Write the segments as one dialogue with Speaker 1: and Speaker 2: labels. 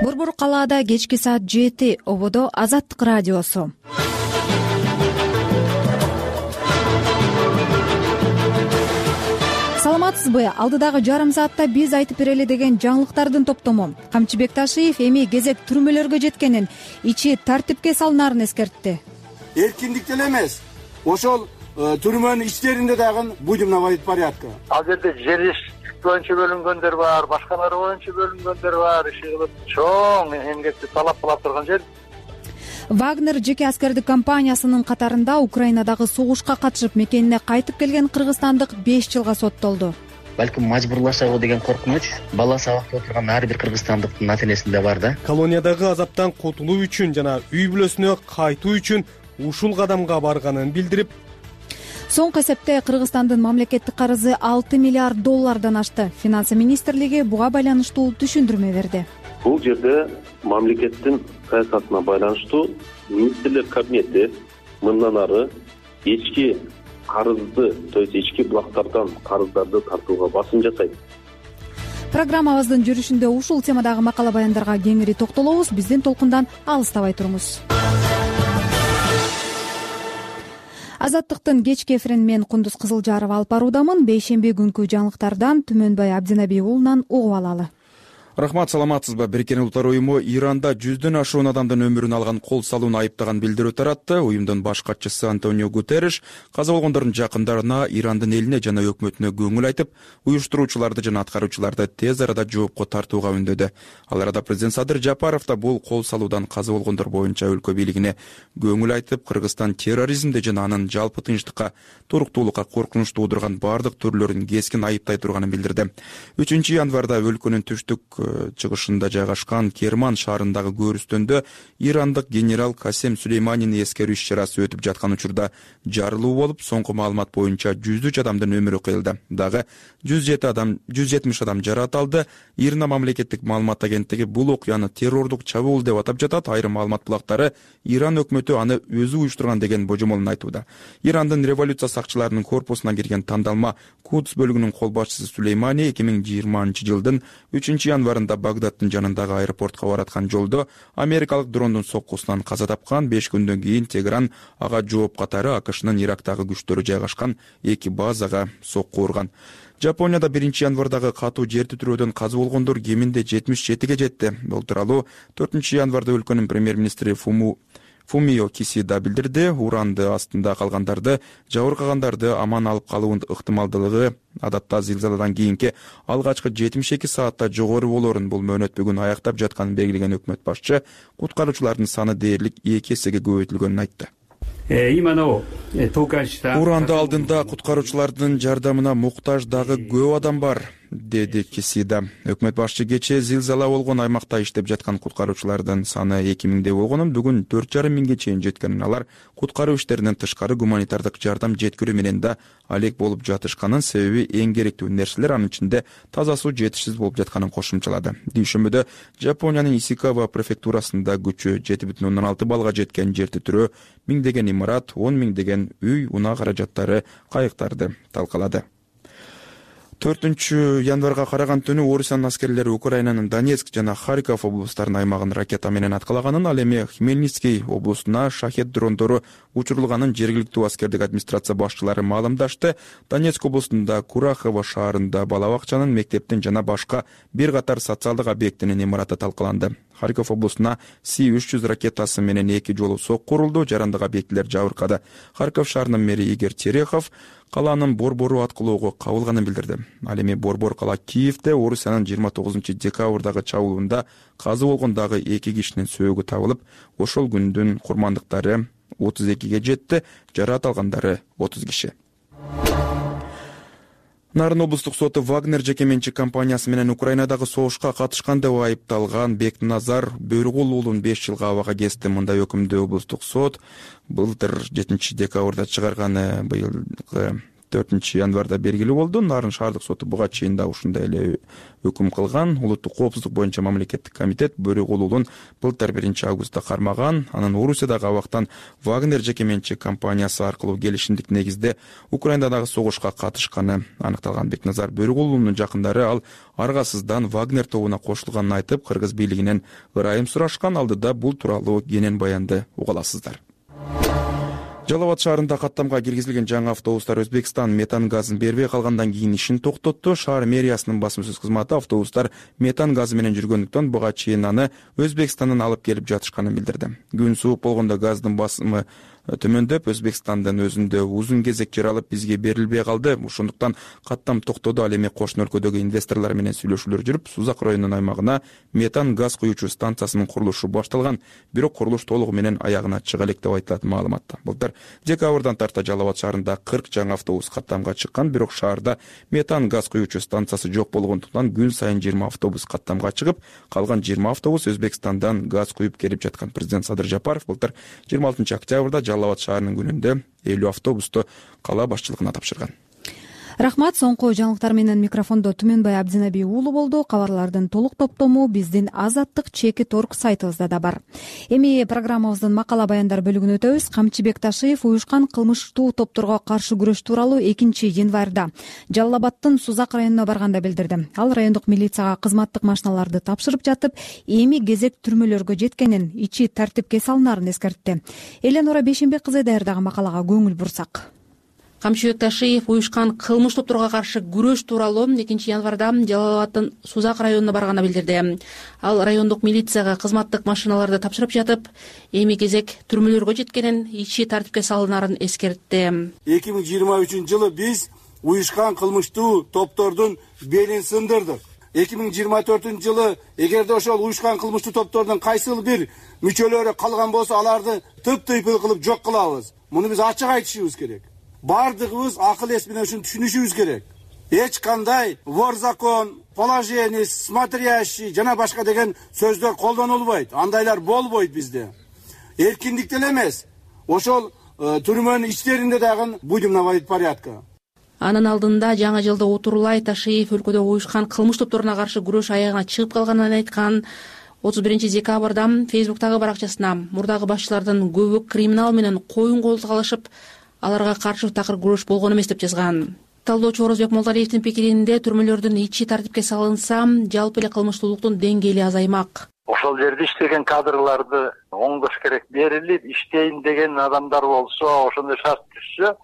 Speaker 1: Борбор калаада кечки саат 7 ободо Азаттык радиосу. Саламатсызбы? Алдыдагы жарым саатта биз айтып берели деген жаңылыктардын топтому. Камчыбек Ташиев эми кезек түрмөлөргө жеткенин, ичи тартипке салынаарын эскертти.
Speaker 2: Эркиндик деле эмес, ошол түрмөнүн ичтеринде дагы будемновый порядка.
Speaker 3: Ал жерде жер иш боюнча бөлүнгөндөр бар, башкалары боюнча бөлүнгөндөр бар, иши кылып чоң эмгекти талап кылып турган жер.
Speaker 1: Вагнер жеке аскердик компаниясынын катарында Украинадагы согушка катышып мекенине кайтып келген кыргызстандык 5 жылга соттолду.
Speaker 4: Балким мажбурлашабы деген коркунуч баласы абакта отурган ар бир кыргызстандыктын ата-энесинде бар да.
Speaker 5: Колониядагы азаптан кутулуу үчүн жана үй бүлөсүнө кайтуу үчүн ушул кадамга барганын билдирип,
Speaker 1: соңку эсепте Кыргызстандын мамлекеттик карызы 6 миллиард доллардан ашты. Финансы министрлиги буга байланыштуу түшүндүрмө берди.
Speaker 6: Бул жерде мамлекеттин саясатына байланыштуу министрлер кабинети мындан ары ички карызды, то есть ички булактардан карыздарды тартууга басым жасайт.
Speaker 1: Программабыздын жүрүшүндө ушул темадагы макала баяндарга кеңири токтолобуз. Биздин толкундан алыстабай туруңуз. Азаттыктын кечки эфирин мен Кундуз Кызылжарова алып баруудамын. Бейшемби күнкү жаңылыктардан Түмөнбай Абдинаби уулунан угуп алалы.
Speaker 7: Рахмат, саламатсызбы? Бириккен Улуттар уюму Иранда 100дөн ашуун адамдын өмүрүн алган кол салууну айыптаган билдирүү таратты. Уюмдун баш катчысы Антонио Гутерриш каза болгондордун жакындарына, Ирандын элине жана өкмөтүнө көңүл айтып, уюштуруучуларды жана аткаруучуларды тез арада жоопко тартууга үндөдү. Ал арада президент Садыр Жапаров да бул кол салуудан каза болгондор боюнча өлкө бийлигине көңүл айтып, Кыргызстан терроризмди жана анын жалпы тынчтыкка, туруктуулукка коркунуч туудурган бардык түрлөрүн кескин айыптай турганын билдирди. 3 январда өлкөнүн түштүк чыгышында жайгашкан Керман шаарындагы көрүстөндө ирандык генерал Касем Сулейманини эскерүү иш-чарасы өтүп жаткан учурда жарылуу болуп, соңку маалымат боюнча 103 адамдын өмүрү кыйылды. Дагы 170 адам жаракат алды. Ирна мамлекеттик маалымат агенттиги бул окуяны террордук чабуул деп атап жатат. Айрым маалымат булактары Иран өкмөтү аны өзү уюштурган деген божомолун айтууда. Ирандын революция сакчыларынын корпусуна кирген тандалма Кудс бөлүгүнүн кол башчысы Сулеймани 2020-жылдын 3 январында Багдадтын жанындагы аэропортко бараткан жолдо америкалык дрондун соккусунан каза тапкан. 5 күндөн кийин Тегеран ага жооп катары АКШнын Ирактагы күчтөрү жайгашкан 2 базага сокку урган. Жапонияда 1 январдагы катуу жер титирөөдөн каза болгондор кеминде 77ге жетти. Бул тууралуу 4 январда өлкөнүн премьер-министри Фумио Кисида билдирди. Уранды астында калгандарды, жабыркагандарды аман алып калуунун ыктымалдуулугу адатта зилзаладан кийинки алгачкы 72 саатта жогору болоорун, бул мөөнөт бүгүн аяктап жатканын белгилеген өкмөт башчы куткаруучулардын саны дээрлик 2 эсеге көбөйтүлгөнүн айтты. Уранды алдында куткаруучулардын жардамына муктаж дагы көп адам бар, деди Кисида. Өкмөт башчы кечээ зилзала болгон аймакта иштеп жаткан куткаруучулардын саны 2000 болгонун, бүгүн 4,5 миңге чейин жеткенин, алар куткаруу иштеринен тышкары гуманитардык жардам жеткирүү менен да алек болуп жатышканын, себеби эң керектүү нерселер, анын ичинде таза суу жетишсиз болуп жатканын кошумчалады. Дүйшөмбүдө Жапониянын Исикава префектурасында күчү 7,6 балга жеткен жер титирөө миңдеген имарат, 10 миңдеген үй, унаа каражаттары, кайыктарды талкалады. 4 январга караган түнү Орусиянын аскерлери Украинанын Донецк жана Харьков облустарынын аймагын ракета менен аткалаганын, ал эми Хмельницкий облусуна шахет дрондору учурулганын жергиликтүү аскердик администрация башчылары маалымдашты. Донецк облусунда Курахово шаарында бала бакчанын, мектептин жана башка бир катар социалдык объектинин имараты талкаланды. Харьков облусуна Си-300 ракетасы менен 2 жолу сокку урулду, жарандык объектилер жабыркады. Харьков шаарынын мэри Игорь Терехов каланын борбору аткылоого кабылганын билдирди. Ал эми борбор кала Киевде Орусиянын 29-декабрдагы чабуулунда каза болгон дагы 2 кишинин сөөгү табылып, ошол күндүн курмандыктары 32ге жетти, жаракат алгандары 30 киши. Нарын облустук соту Вагнер жеке менчик компаниясы менен Украинадагы согушка катышкан деп айыпталган Бекназар Бөргул уулун 5 жылга абага кести. Мындай өкүмдү облустук сот былтыр 7 декабрда чыгарганы. Быйылгы 4-январда белгилүү болду. Нарын шаардык соту буга чейин да ушундай эле өкүм кылган. Улуттук коопсуздук боюнча мамлекеттик комитет Бөрүк уулун былтыр 1-августта кармаган. Анын Орусиядагы абактан Вагнер жеке менчик компаниясы аркылуу келишимдик негизде Украинадагы согушка катышканы аныкталган. Бекназар Бөрүк уулунун жакындары ал аргасыздан Вагнер тобуна кошулганын айтып, кыргыз бийлигинен ырайым сурашкан. Алдыда бул тууралуу кенен баянды уга аласыздар. Жалал Абад шаарында каттамга киргизилген жаңы автобустар Өзбекстан метан газын бербей калгандан кийин ишин токтотту. Шаар мэриясынын басма-сөз кызматы автобустар метан газы менен жүргөндүктөн буга чейин аны Өзбекстандан алып келип жатышканын билдирди. Күн суук болгондо газдын басымы төмөндөп, Өзбекстандын өзүндө узун кезек жаралып бизге берилбей калды. Ошондуктан каттам токтоду. Ал эми кошуна өлкөдөгү инвесторлор менен сүйлөшүүлөр жүрүп, Сузак районунун аймагына метан газ куюучу станциясынын курулушу башталган. Бирок курулуш толугу менен аягына чыга элек деп айтылат маалыматта. Былтыр декабрдан тарта Жалал Абад шаарында 40 жаңы автобус каттамга чыккан, бирок шаарда метан газ куюучу станциясы жок болгондуктан күн сайын 20 автобус каттамга чыгып, калган 20 автобус Өзбекстандан газ куюп келип жаткан. Президент Садыр Жапаров былтыр 26-октябрда Жалал Абад шаарынын күнүндө 50 автобусту кала башчылыгына тапшырган.
Speaker 1: Рахмат. Соңку жаңылыктар менен микрофондо Түмөнбай Абдинаби уулу болду. Кабарлардын толук топтому биздин Азаттык.org сайтыбызда да бар. Эми программабыздын макала баяндар бөлүгүнө өтөбүз. Камчыбек Ташиев уюшкан кылмыштуу топторго каршы күрөш тууралуу 2-январда Жалал Абадтын Сузак районуна барганда билдирди. Ал райондук милицияга кызматтык машиналарды тапшырып жатып, эми кезек түрмөлөргө жеткенин, ичи тартипке салынаарын эскертти. Эленора Бейшенбек кызы даярдаган макалага көңүл бурсак.
Speaker 8: Камчыбек Ташиев уюшкан кылмыш топторго каршы күрөш тууралуу 2-январда Жалал Абадтын Сузак районуна барганда билдирди. Ал райондук милицияга кызматтык машиналарды тапшырып жатып, эми кезек түрмөлөргө жеткенин, ичи тартипке салынаарын эскертти.
Speaker 2: 2023-жылы биз уюшкан кылмыштуу топтордун белин сындырдык. 2024-жылы эгерде ошол уюшкан кылмыштуу топтордун кайсыл бир мүчөлөрү калган болсо, аларды тыптыйпыл кылып жок кылабыз. Муну биз ачык айтышыбыз керек. Бардыгыбыз акыл эс менен ушуну түшүнүшүбүз керек. Эч кандай вор закон, положение, смотрящий жана башка деген сөздөр колдонулбайт. Андайлар болбойт бизде. Эркиндик деле эмес. Ошол түрмөнүн ичтеринде дагы будем наводить порядка.
Speaker 8: Анын алдында жаңы жылда Утурлай Ташиев өлкөдө уюшкан кылмыш топторуна каршы күрөш аягына чыгып калганын айткан. 31-декабрда Фейсбуктагы баракчасына мурдагы башчылардын көбү криминал менен коюн колтук алышып, аларга каршы такыр күрөш болгон эмес деп жазган. Талдоочу Орозбек Молдалиевдин пикиринде түрмөлөрдүн ичи тартипке салынса, жалпы эле кылмыштуулуктун деңгээли азаймак.
Speaker 3: Ошол жерде иштеген кадрларды оңдош керек, берилип иштейин деген адамдар болсо, ошондой шарт түшсө,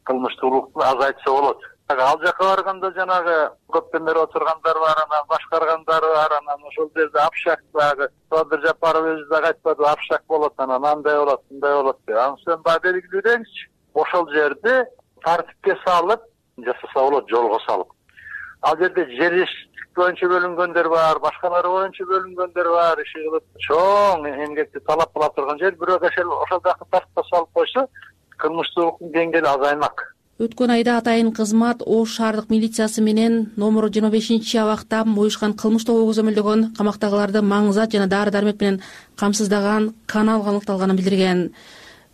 Speaker 3: кылмыштуулукту азайтса болот. Ал жака барганда жанагы көптөн бери отургандар бар, анан башкаргандар бар, анан ошол жерде апшак дагы Садыр Жапаров өзү дагы айтпады, апшак болот, анан андай болот, мындай болот деп. Аны сен баа белгилөөңүзчү. Ошол жерде тартипке салып жасаса болот, жолго салып. Ал жерде жер боюнча бөлүнгөндөр бар, башкалары боюнча бөлүнгөндөр бар, иши кылып чоң эмгекти талап кыла турган жер, бирок ошол жакты тартипке салып койсо, кылмыштуулуктун деңгээли азаймак.
Speaker 8: Өткөн айда атайын кызмат Ош шаардык милициясы менен номер 25-абакта уюшкан кылмыш тобу көзөмөлдөгөн камактагыларды маңызат жана дары-дармек менен камсыздаган канал аныкталганын билдирген.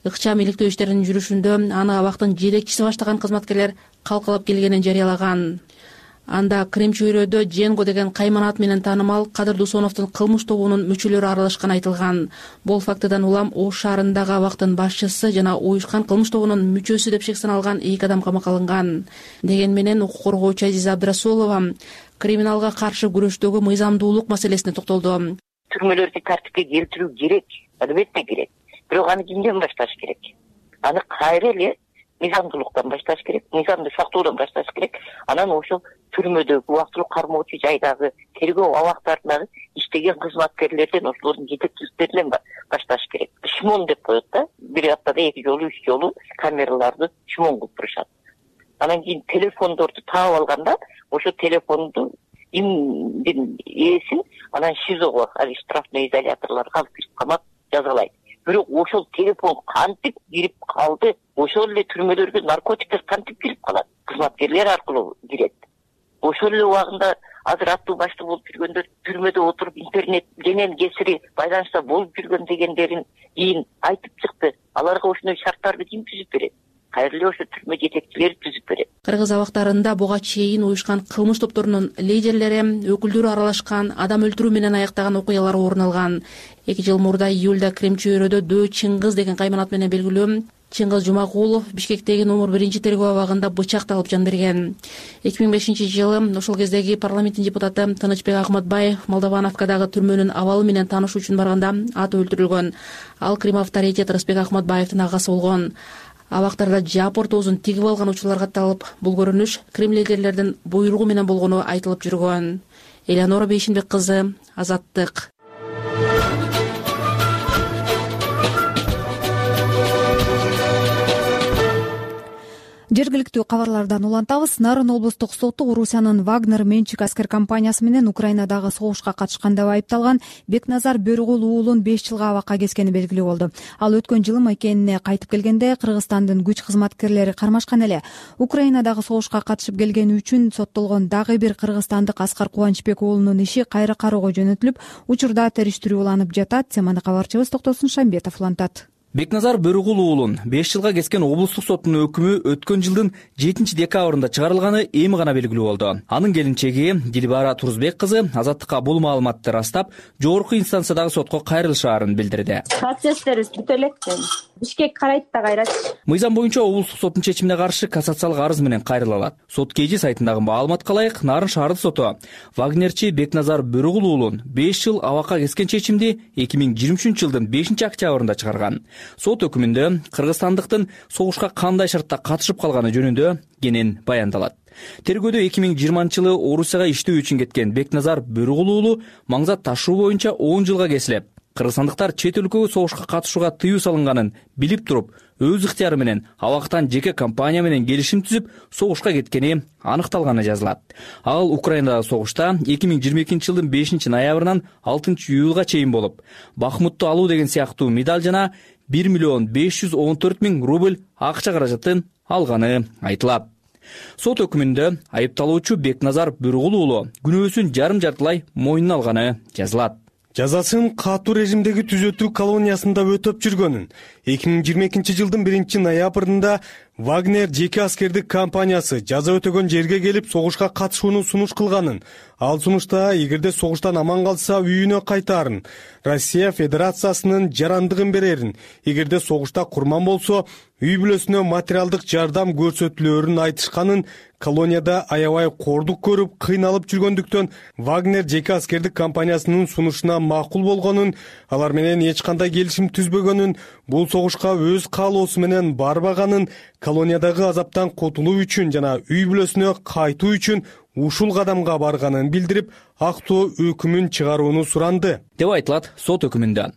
Speaker 8: Ыкчам иликтөө иштеринин жүрүшүндө аны абактын жетекчиси баштаган кызматкерлер калкалап келгенин жарыялаган. Анда Крем чөйрөдө Дженго деген кайман ат менен таанымал Кадыр Дусоновдун кылмыш тобунун мүчөлөрү аралашканы айтылган. Бул фактыдан улам Ош шаарындагы абактын башчысы жана уюшкан кылмыш тобунун мүчөсү деп шек саналган 2 адам камакка алынган. Деген менен укук коргоочу Азиза Абдрасулова криминалга каршы күрөштөгү мыйзамдуулук маселесине токтолду.
Speaker 9: Түрмөлөрдү тартипке келтирүү керек, албетте керек. Бирок аны кимден башташ керек? Аны кайра эле мыйзамдуулуктан башташ керек, мыйзамды сактоодон башташ керек. Анан ошол түрмөдөгү убактылуу кармоочу жайдагы тергөө абактарындагы иштеген кызматкерлерден, ошолордун жетекчиликтеринен башташ керек. Шмон деп коет да, бир аптада 2 жолу 3 жолу камераларды шмон кылып турушат. Анан кийин телефондорду таап алганда, ошо телефонду имдин ээсин анан ШИЗОго, ал штрафный изоляторлорго алып кирип камап жазалайт. Бирок ошол телефон кантип кирип калды, ошол эле түрмөлөргө наркотиктер кантип кирип калат? Кызматкерлер аркылуу кирет. Ошол эле убагында азыр аттуу башты болуп жүргөндөр түрмөдө отуруп интернет менен кесири байланышта болуп жүргөн дегендерин кийин айтып чыкты. Аларга ошондой шарттарды ким түзүп берет? кайра эле ошо түрмө жетекчилери түзүп берет.
Speaker 8: Кыргыз абактарында буга чейин уюшкан кылмыш топторунун лидерлери, өкүлдөрү аралашкан, адам өлтүрүү менен аяктаган окуялар орун алган. 2 жыл мурда июлда Кремчөөрөдө Дөө Чыңгыз деген кайманат менен белгилүү Чыңгыз Жумагулов Бишкектеги номер 1 тергөө абагында бычакталып жан берген. 2005-жылы ошол кездеги парламенттин депутаты Тынычбек Акматбаев Молдовановкадагы түрмөнүн абалы менен таанышуу үчүн барганда аты өлтүрүлгөн. Ал Крим авторитет Рысбек Акматбаевдин агасы болгон. Абактарда жапыр тоозун тигип алган учурлар катталып, бул көрүнүш Крим лидерлердин буйругу менен болгону айтылып жүргөн. Элеонора Бейшинбек кызы, Азаттык.
Speaker 1: Жергиликтүү кабарлардан улантабыз. Нарын облустук соту Орусиянын Вагнер менчик аскер компаниясы менен Украинадагы согушка катышкан деп айыпталган Бекназар Бөрүгул уулун 5 жылга абакка кескени белгилүү болду. Ал өткөн жылы мекенине кайтып келгенде Кыргызстандын күч кызматкерлери кармашкан эле. Украинадагы согушка катышып келгени үчүн соттолгон дагы бир кыргызстандык Аскар Кубанычбек уулунун иши кайра кароого жөнөтүлүп, учурда териштирүү уланып жатат. Теманы кабарчыбыз Токтосун Шамбетов улантат.
Speaker 10: Бекназар Бөрүгул уулун 5 жылга кескен облустук соттун өкүмү өткөн жылдын 7 декабрында чыгарылганы эми гана белгилүү болду. Анын келинчеги Дилбара Турузбек кызы Азаттыкка бул маалыматты ырастап, жогорку инстанциядагы сотко кайрылышаарын билдирди.
Speaker 11: Процесстерибиз бүтө элек. Бишкек карайт да кайрат.
Speaker 10: Мыйзам боюнча облустук соттун чечимине каршы кассациялык арыз менен кайрыла алат. Сот KG сайтындагы маалыматка ылайык, Нарын шаардык соту Вагнерчи Бекназар Бөрүгул уулун 5 жыл абакка кескен чечимди 2023-жылдын 5 октябрында чыгарган. Сот өкүмүндө кыргызстандыктын согушка кандай шартта катышып калганы жөнүндө кенен баяндалат. Тергөөдө 2020-жылы Орусияга иштөө үчүн кеткен Бекназар Бөрүгул уулу маңзат ташуу боюнча 10 жылга кесилип, кыргызстандыктар чет өлкөгө согушка катышууга тыюу салынганын билип туруп, өз ыктыяры менен абактан жеке компания менен келишим түзүп, согушка кеткени аныкталганы жазылат. Ал Украинадагы согушта 2022-жылдын 5 ноябрынан 6 июлга чейин болуп, Бахмутту алуу деген сыяктуу медаль жана 1 514 000 рубль акча каражатын алганы айтылат. Сот өкүмүндө айыпталуучу Бекназар Бөрүгул уулу күнөөсүн жарым-жартылай мойнуна алганы жазылат.
Speaker 5: Жазасын катуу режимдеги түзөтүү колониясында өтөп жүргөнүн 2022-жылдын 1 ноябрында Вагнер жеке аскердик компаниясы жаза өтөгөн жерге келип согушка катышууну сунуш кылганын, ал сунушта эгерде согуштан аман калса үйүнө кайтаарын, Россия Федерациясынын жарандыгын берерин, эгерде согушта курман болсо үй бүлөсүнө материалдык жардам көрсөтүлөөрүн айтышканын, колонияда аябай кордук көрүп кыйналып жүргөндүктөн Вагнер жеке аскердик компаниясынын сунушуна макул болгонун, алар менен эч кандай келишим түзбөгөнүн, бул согушка өз каалоосу менен барбаганын, колониядагы азаптан кутулуу үчүн жана үй бүлөсүнө кайтуу үчүн ушул кадамга барганын билдирип, актоо өкүмүн чыгарууну суранды
Speaker 10: деп айтылат сот өкүмүндө.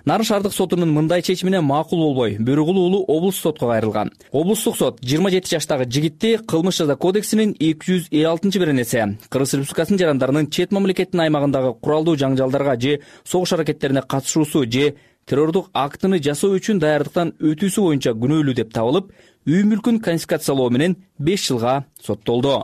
Speaker 10: Нарын шаардык сотунун мындай чечимине макул болбой, Бөрүгул уулу облустук сотко кайрылган. Облустук сот 27 жаштагы жигитти кылмыш жаза кодексинин 256-беренеси Кыргыз Республикасынын жарандарынын чет мамлекеттин аймагындагы куралдуу жаңжалдарга же согуш аракеттерине катышуусу же террордук актыны жасоо үчүн даярдыктан өтүүсү боюнча күнөөлүү деп табылып, үй мүлкүн конфискациялоо менен 5 жылга соттолду.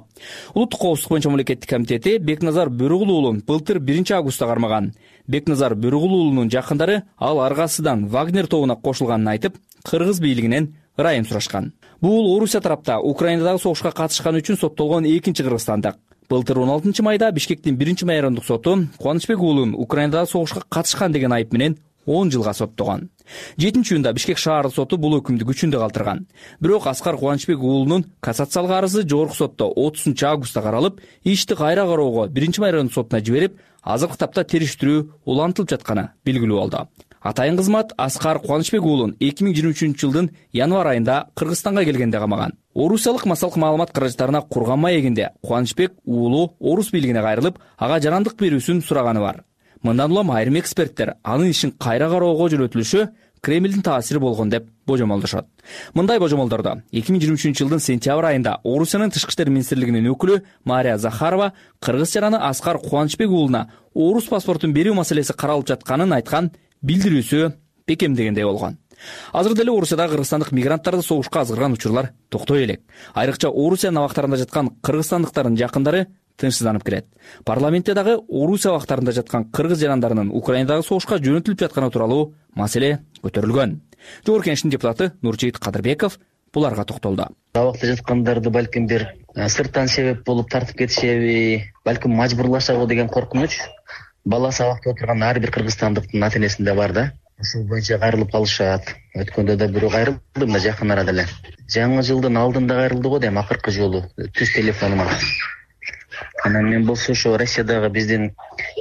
Speaker 10: Улуттук коопсуздук боюнча мамлекеттик комитети Бекназар Бөрүгул уулун былтыр 1 августта кармаган. Бекназар Бөрүгул уулунун жакындары ал аргасыдан Вагнер тобуна кошулганын айтып, кыргыз бийлигинен ырайым сурашкан. Бул Орусия тарапта Украинадагы согушка катышканы үчүн соттолгон экинчи кыргызстандык. Былтыр 16 майда Бишкектин 1 майрандык соту Кубанычбек уулун Украинадагы согушка катышкан деген айып менен 10 жылга соттогон. 7-июнда Бишкек шаардык соту бул өкүмдү күчүндө калтырган. Бирок Аскар Кубанычбек уулунун кассациялык арызы жогорку сотто 30 августта каралып, ишти кайра кароого 1 майрандык сотуна жиберип, азыркы тапта териштирүү улантылып жатканы белгилүү болду. Атайын кызмат Аскар Кубанычбек уулун 2023-жылдын январь айында Кыргызстанга келгенде камаган. Орусиялык массалык маалымат каражаттарына курган маегинде Кубанычбек уулу орус бийлигине кайрылып, ага жарандык берүүсүн сураганы бар. Мындан улам айрым эксперттер анын ишин кайра кароого жөнөтүлүшү Кремлдин таасири болгон деп божомолдошот. Мындай божомолдордо 2023-жылдын сентябрь айында Орусиянын тышкы иштер министрлигинин өкүлү Мария Захарова кыргыз жараны Аскар Кубанычбек уулуна орус паспортун берүү маселеси каралып жатканын айткан билдирүүсү бекемдегендей болгон. Азыр деле Орусияда кыргызстандык мигранттарды согушка азгырган учурлар токтой элек. Айрыкча Орусиянын абактарында жаткан кыргызстандыктардын жакындары тынчсызданып келет. Парламентте дагы Орусия абактарында жаткан кыргыз жарандарынын Украинадагы согушка жөнөтүлүп жатканы тууралуу маселе көтөрүлгөн. Жогорку Кеңештин депутаты Нуржейит Кадырбеков буларга токтолду.
Speaker 4: Абакта жаткандарды балким бир сырттан себеп болуп тартып кетишеби, балким мажбурлашабы деген коркунуч бала сабакта отурган ар бир кыргызстандыктын ата энесинде бар да. Ушул боюнча кайрылып калышат. Өткөндө да бирөө кайрылды, мына жакын арада эле. Жаңы жылдын алдында кайрылды го дейм, акыркы жолу түз телефонума. Анан мен болсо ошо Россиядагы биздин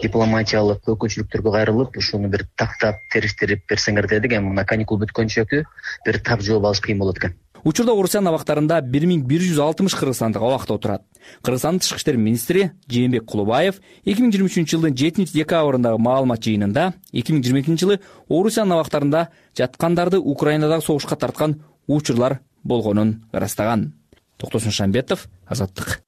Speaker 4: дипломатиялык өкүлчүлүктөргө кайрылып, ушуну бир тактап териштирип берсеңер дедик. Мына каникул бүткөнчөкү бир тап жооп алыш кыйын болот экен.
Speaker 10: Учурда Орусиян абактарында 1160 кыргызстандык абакта отурат. Кыргызстандын тышкы иштер министри Жээнбек Кулубаев 2023 жылдын 7-декабрындагы маалымат жыйынында 2022 жылы Орусиян абактарында жаткандарды Украинадагы согушка тарткан учурлар болгонун ырастаган. Токтосун Шамбетов, Азаттык.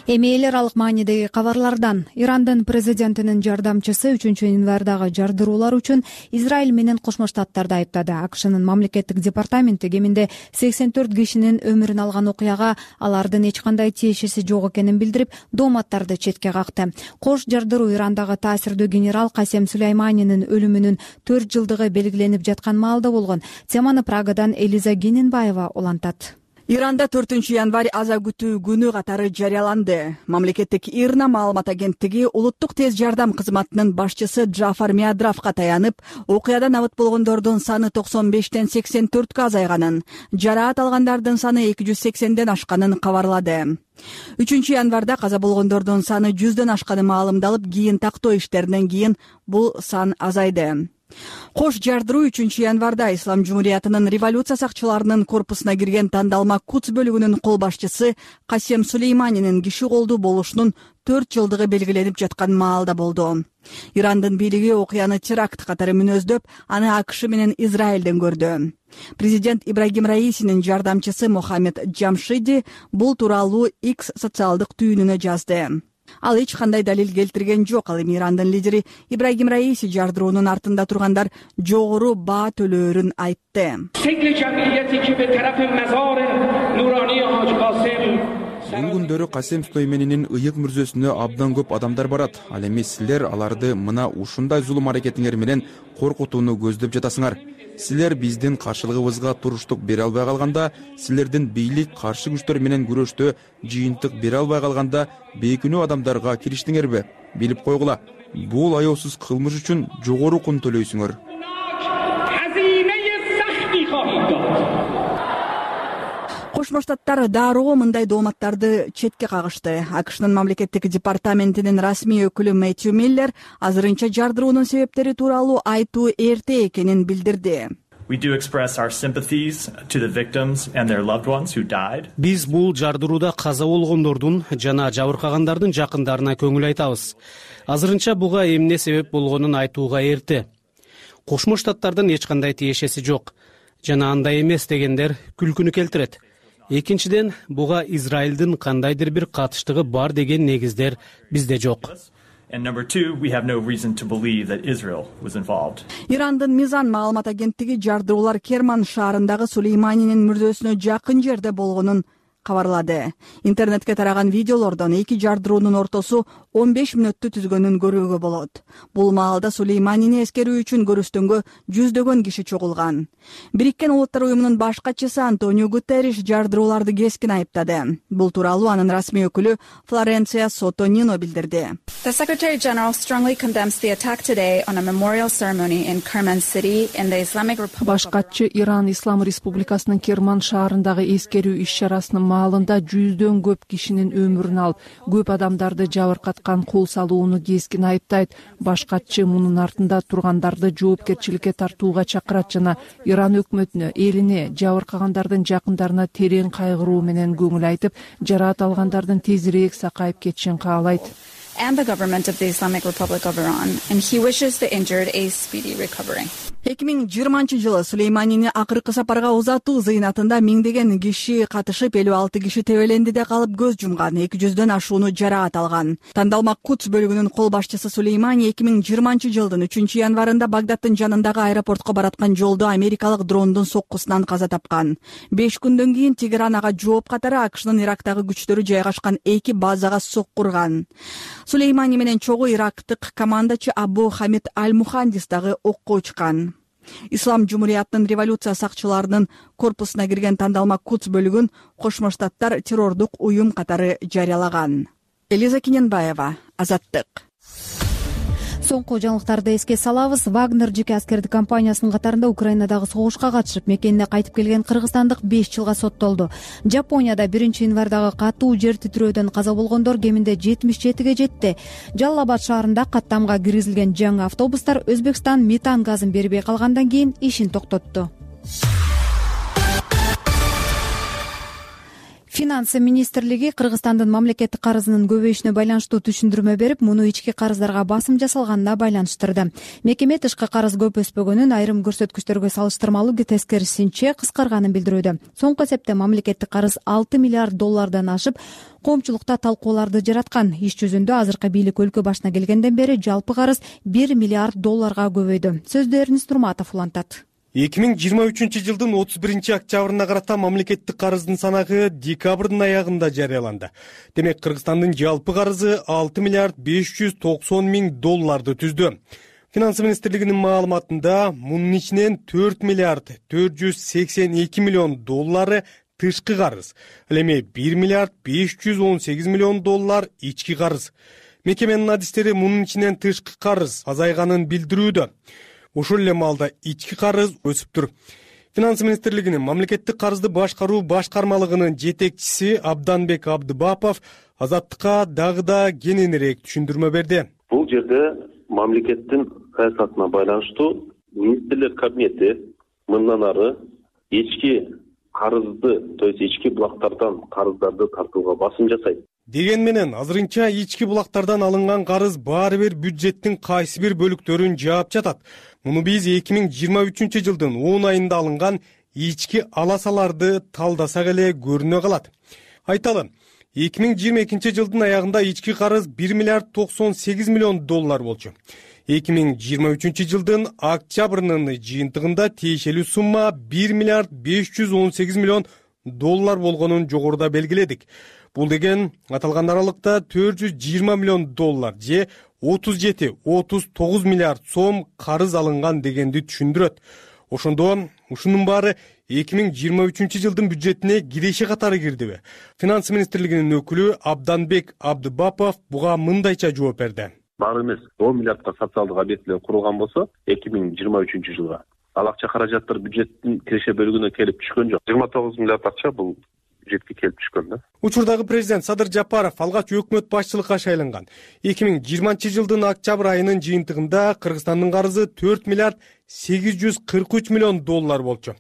Speaker 1: Эми эл аралык маанидеги кабарлардан. Ирандын президентинин жардамчысы 3-январдагы жардыруулар үчүн Израиль менен Кошмо Штаттарды айыптады. АКШнын мамлекеттик департаменти кеминде 84 кишинин өмүрүн алган окуяга алардын эч кандай тиешеси жок экенин билдирип, дооматтарды четке какты. Кош жардыруу Ирандагы таасирдүү генерал Касем Сулейманинин өлүмүнүн 4 жылдыгы белгиленип жаткан маалда болгон. Теманы Прагадан Элиза Генинбаева улантат.
Speaker 12: Иранда 4-январь аза күтүү күнү катары жарыяланды. Мамлекеттик ИРНА маалымат агенттиги улуттук тез жардам кызматынын башчысы Джафар Миадравга таянып, окуядан абыт болгондордун саны 95ден 84кө азайганын, жараат алгандардын саны 280ден ашканын кабарлады. 3-январда каза болгондордун саны 100дөн ашканы маалымдалып, кийин тактоо иштеринен кийин бул сан азайды. Кош жардыруу 3-январда Ислам Жумуриятынын революция сакчыларынын корпусуна кирген тандалма Кудс бөлүгүнүн кол башчысы Касем Сулейманинин киши колдуу болушунун 4 жылдыгы белгиленип жаткан маалда болду. Ирандын бийлиги окуяны теракт катары мүнөздөп, аны АКШ менен Израилден көрдү. Президент Ибрагим Раисинин жардамчысы Мохаммед Джамшиди бул тууралуу X социалдык түйүнүнө жазды. Ал эч кандай далил келтирген жок. Ал эми Ирандын лидери Ибрагим Раиси жардыруунун артында тургандар жогору баа төлөөрүн айтты.
Speaker 7: Бул күндөрү Касем Сулейманинин ыйык мүрзөсүнө абдан көп адамдар барат. Ал эми силер аларды мына ушундай зулум аракетиңер менен коркутууну көздөп жатасыңар. Силер биздин каршылыгыбызга туруштук бере албай калганда, силердин бийлик каршы күчтөр менен күрөштө жыйынтык бере албай калганда бейкүнөө адамдарга кириштиңерби? Билип койгула, бул аяосуз кылмыш үчүн жогору кун төлөйсүңөр.
Speaker 12: Кошмо Штаттар дароо мындай дооматтарды четке кагышты. АКШнын мамлекеттик департаментинин расмий өкүлү Мэтью Миллер азырынча жардыруунун себептери тууралуу айтуу эрте экенин билдирди.
Speaker 13: Биз бул жардырууда каза болгондордун жана жабыркагандардын жакындарына көңүл айтабыз. Азырынча буга эмне себеп болгонун айтууга эрте. Кошмо Штаттардын эч кандай тиешеси жок жана андай эмес дегендер күлкүнү келтирет. Экинчиден, буга Израилдин кандайдыр бир катыштыгы бар деген негиздер бизде жок.
Speaker 12: Ирандын Мизан маалымат агенттиги жардыруулар Керман шаарындагы Сулейманинин мүрзөсүнө жакын жерде болгонун кабарлады. Интернетке тараган видеолордон эки жардыруунун ортосу 15 мүнөттү түзгөнүн көрүүгө болот. Бул маалда Сулейманини эскерүү үчүн көрүстөнгө жүздөгөн киши чогулган. Бириккен Улуттар уюмунун баш катчысы Антонио Гутерриш жардырууларды кескин айыптады. Бул тууралуу анын расмий өкүлү Флоренция Сотонино билдирди.
Speaker 14: The Secretary General strongly condemns the attack today on a memorial ceremony in Kerman City in the Islamic Republic.
Speaker 15: Баш катчы Иран Ислам Республикасынын Керман шаарындагы эскерүү иш-чарасынын маалында жүздөн көп кишинин өмүрүн алып, көп адамдарды жабыркаткан кол салууну кескин айыптайт. Баш катчы мунун артында тургандарды жоопкерчиликке тартууга чакырат жана Иран өкмөтүнө, элине, жабыркагандардын жакындарына терең кайгыруу менен көңүл айтып, жараат алгандардын тезирээк сакайып кетишин каалайт.
Speaker 14: And the government of the Islamic Republic of Iran, and he wishes the injured a speedy recovery.
Speaker 12: 2020 Сулейманини акыркы сапарга узатуу зыйнатында миңдеген киши катышып, 56 киши тебелендиде калып көз жумган, 200дөн ашууну жараат алган. Тандалма Кудс бөлүгүнүн кол башчысы Сулеймани 2020 3 январында Багдаддын жанындагы аэропортко бараткан жолдо америкалык дрондун соккусунан каза тапкан. 5 күндөн кийин Тегеран ага жооп катары АКШнын Ирактагы күчтөрү жайгашкан 2 базага соккурган. Сулеймани менен чогуу ирактык командачы Абу Хамид Аль-Мухандис дагы окко учкан. Ислам Жумуриятынын революция сакчыларынын корпусуна кирген Тандалма Кудс бөлүгүн Кошмо Штаттар террордук уюм катары жарыялаган. Элиза Кененбаева, Азаттык.
Speaker 1: Соңку жаңылыктарды эске салабыз. Вагнер жеке аскердик компаниясынын катарында Украинадагы согушка катышып, мекенине кайтып келген кыргызстандык 5 жылга соттолду. Жапонияда 1-январдагы катуу жер титирөөдөн каза болгондор кеминде 77ге жетти. Жалал-Абад шаарында каттамга киргизилген жаңы автобустар Өзбекстан метан газын бербей калгандан кийин ишин токтотту. Финансы министрлиги Кыргызстандын мамлекеттик карызынын көбөйүшүнө байланыштуу түшүндүрмө берип, муну ички карыздарга басым жасалганына байланыштырды. Мекеме тышкы карыз көп өспөгөнүн, айрым көрсөткүчтөргө салыштырмалуу тескерисинче кыскарганын билдирүүдө. Соңку эсепте мамлекеттик карыз $6 миллиард ашып, коомчулукта талкууларды жараткан. Иш жүзүндө азыркы бийлик өлкө башына келгенден бери жалпы карыз $1 миллиард көбөйдү. Сөздү Эрнис Турматов улантат.
Speaker 5: 2023 жылдын 31 октябрына карата мамлекеттик карыздын санагы декабрдын аягында жарыяланды. Демек, Кыргызстандын жалпы карызы $6 миллиард $590 түздү. Финансы министрлигинин маалыматында мунун ичинен $4 миллиард $482 миллион тышкы карыз, ал эми $1 миллиард $518 миллион ички карыз. Мекеменин адистери мунун ичинен тышкы карыз азайганын билдирүүдө. Ошол эле маалда ички карыз өсүптүр. Финансы министрлигинин мамлекеттик карызды башкаруу башкармалыгынын жетекчиси Абданбек Абдыбапов Азаттыкка дагы да кененирээк түшүндүрмө берди.
Speaker 6: Бул жерде мамлекеттин саясатына байланыштуу министрлер кабинети мындан ары ички карызды, то есть ички булактардан карыздарды тартууга басым жасайт.
Speaker 5: Деген менен азырынча ички булактардан алынган карыз баары бир бюджеттин кайсы бир бөлүктөрүн жаап жатат. Муну биз 2023 жылдын 10 айында алынган ички аласаларды талдасак эле көрүнө калат. Айталы, 2022 жылдын аягында ички карыз $1 миллиард $98 миллион болчу. 2023 жылдын октябрынын жыйынтыгында тиешелүү сумма $1 миллиард $518 миллион болгонун жогоруда белгиледик. Бул деген аталган аралыкта $420 миллион же 37-39 миллиард сом карыз алынган дегенди түшүндүрөт. Ошондо ушунун баары 2023 жылдын бюджетине киреше катары кирдиби? Финансы министрлигинин өкүлү Абданбек Абдыбапов буга мындайча жооп берди.
Speaker 6: Баары эмес, 10 миллиардка социалдык объектилер курулган болсо, 2023 жылга ал акча каражаттар бюджеттин киреше бөлүгүнө келип түшкөн жок. 29 миллиард акча бул бюджетке келип түшкөн да.
Speaker 5: Учурдагы президент Садыр Жапаров алгач өкмөт башчылыкка шайланган. 2020 жылдын октябрь айынын жыйынтыгында Кыргызстандын карызы $4 миллиард $843 миллион болчу.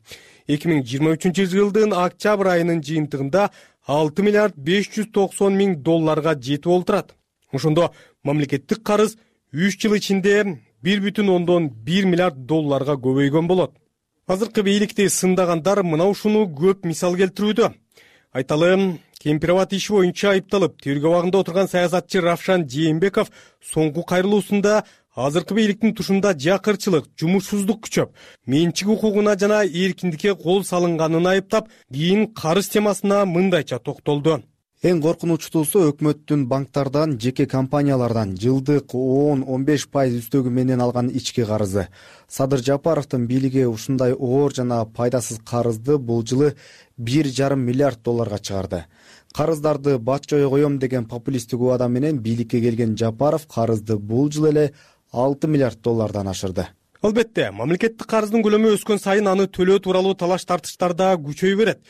Speaker 5: 2023 жылдын октябрь айынын жыйынтыгында $6 миллиард $590 миң жетип олтурат. Ошондо мамлекеттик карыз 3 жыл ичинде $1,1 миллиард көбөйгөн болот. Азыркы бийликти сындагандар мына ушуну көп мисал келтирүүдө. Айталы, Кемпирабад иши боюнча айыпталып, тергөө абагында отурган саясатчы Равшан Жээнбеков соңку кайрылуусунда азыркы бийликтин тушунда жакырчылык, жумушсуздук күчөп, менчик укугуна жана эркиндикке кол салынганын айыптап, кийин карыз темасына мындайча токтолду.
Speaker 16: Эң коркунучтуусу өкмөттүн банктардан, жеке компаниялардан жылдык 10-15% үстөгү менен алган ички карызы. Садыр Жапаровдун бийлиги ушундай оор жана пайдасыз карызды бул жылы $1,5 миллиард чыгарды. Карыздарды батчой коем деген популисттик убада менен бийликке келген Жапаров карызды бул жылы эле $6 миллиард ашырды.
Speaker 5: Албетте, мамлекеттик карыздын көлөмү өскөн сайын аны төлөө тууралуу талаш-тартыштар да күчөй берет.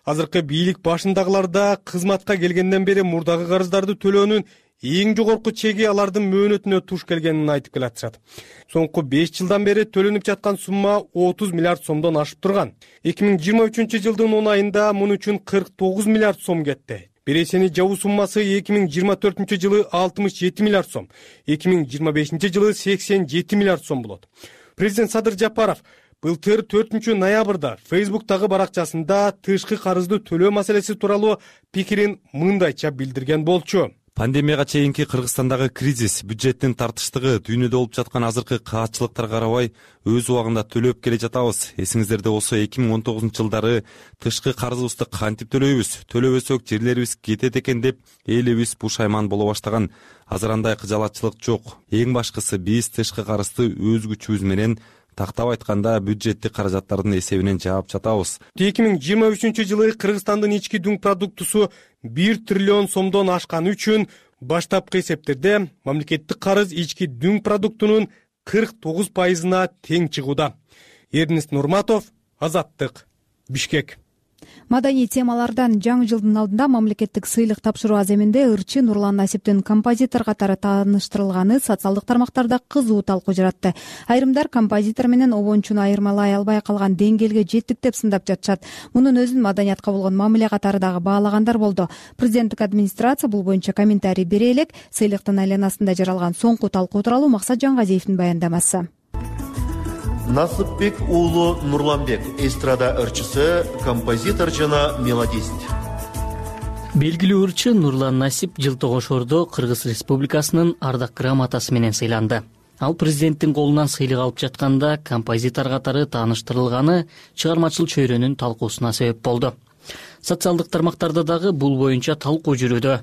Speaker 5: Азыркы бийлик башындагыларда кызматка келгенден бери мурдагы карыздарды төлөөнүн эң жогорку чеги алардын мөөнөтүнө туш келгенин айтып келатышат. Соңку 5 жылдан бери төлөнүп жаткан сумма $30 миллиард сомдон ашып турган. 2023 жылдын 10 айында мун үчүн $49 миллиард сом кетти. Бересени жабуу суммасы 2024 жылы $67 миллиард сом, 2025 жылы $87 миллиард сом болот. Президент Садыр Жапаров былтыр 4-ноябрда Facebook'тагы баракчасында тышкы карызды төлөө маселеси тууралуу пикирин мындайча билдирген болчу.
Speaker 17: Пандемияга чейинки Кыргызстандагы кризис, бюджеттин тартыштыгы, дүйнөдө болуп жаткан азыркы каатчылыктарга карабай өз убагында төлөп келе жатабыз. Эсиңиздерде болсо 2019-жылдары тышкы карызыбызды кантип төлөйбүз, төлөбөсөк жерлерибиз кетет экен деп элибиз пушайман боло баштаган. Азыр андай кыжалатчылык жок. Эң башкысы биз тышкы карызды өз күчүбүз менен, тактап айтканда бюджеттик каражаттардын эсебинен жаап жатабыз.
Speaker 5: 2023-жылы Кыргызстандын ички дүң продуктусу 1 триллион сомдон ашканы үчүн баштапкы эсептерде мамлекеттик карыз ички дүң продуктунун 49%-на тең чыгууда. Эрнест Нурматов, Азаттык, Бишкек.
Speaker 1: Маданий темалардан жаңы жылдын алдында мамлекеттик сыйлык тапшыруу аземинде ырчы Нурлан Насиптин композитор катары тааныштырылганы социалдык тармактарда кызуу талкуу жаратты. Айрымдар композитор менен обончуну айырмалай албай калган деңгээлге жеттик деп сындап жатышат. Мунун өзүн маданиятка болгон мамиле катары дагы баалагандар болду. Президенттик администрация бул боюнча комментарий бере элек. Сыйлыктын айланасында жаралган соңку талкуу тууралуу Максат Жангазиевдин баяндамасы.
Speaker 18: Насыпбек уулу Нурланбек, эстрада ырчысы, композитор жана мелодист.
Speaker 19: Белгилүү ырчы Нурлан Насип Жылтогошордо Кыргыз Республикасынын ардак грамотасы менен сыйланды. Ал президенттин колунан сыйлык алып жатканда композитор катары тааныштырылганы чыгармачыл чөйрөнүн талкуусуна себеп болду. Социалдык тармактарда дагы бул боюнча талкуу жүрүүдө.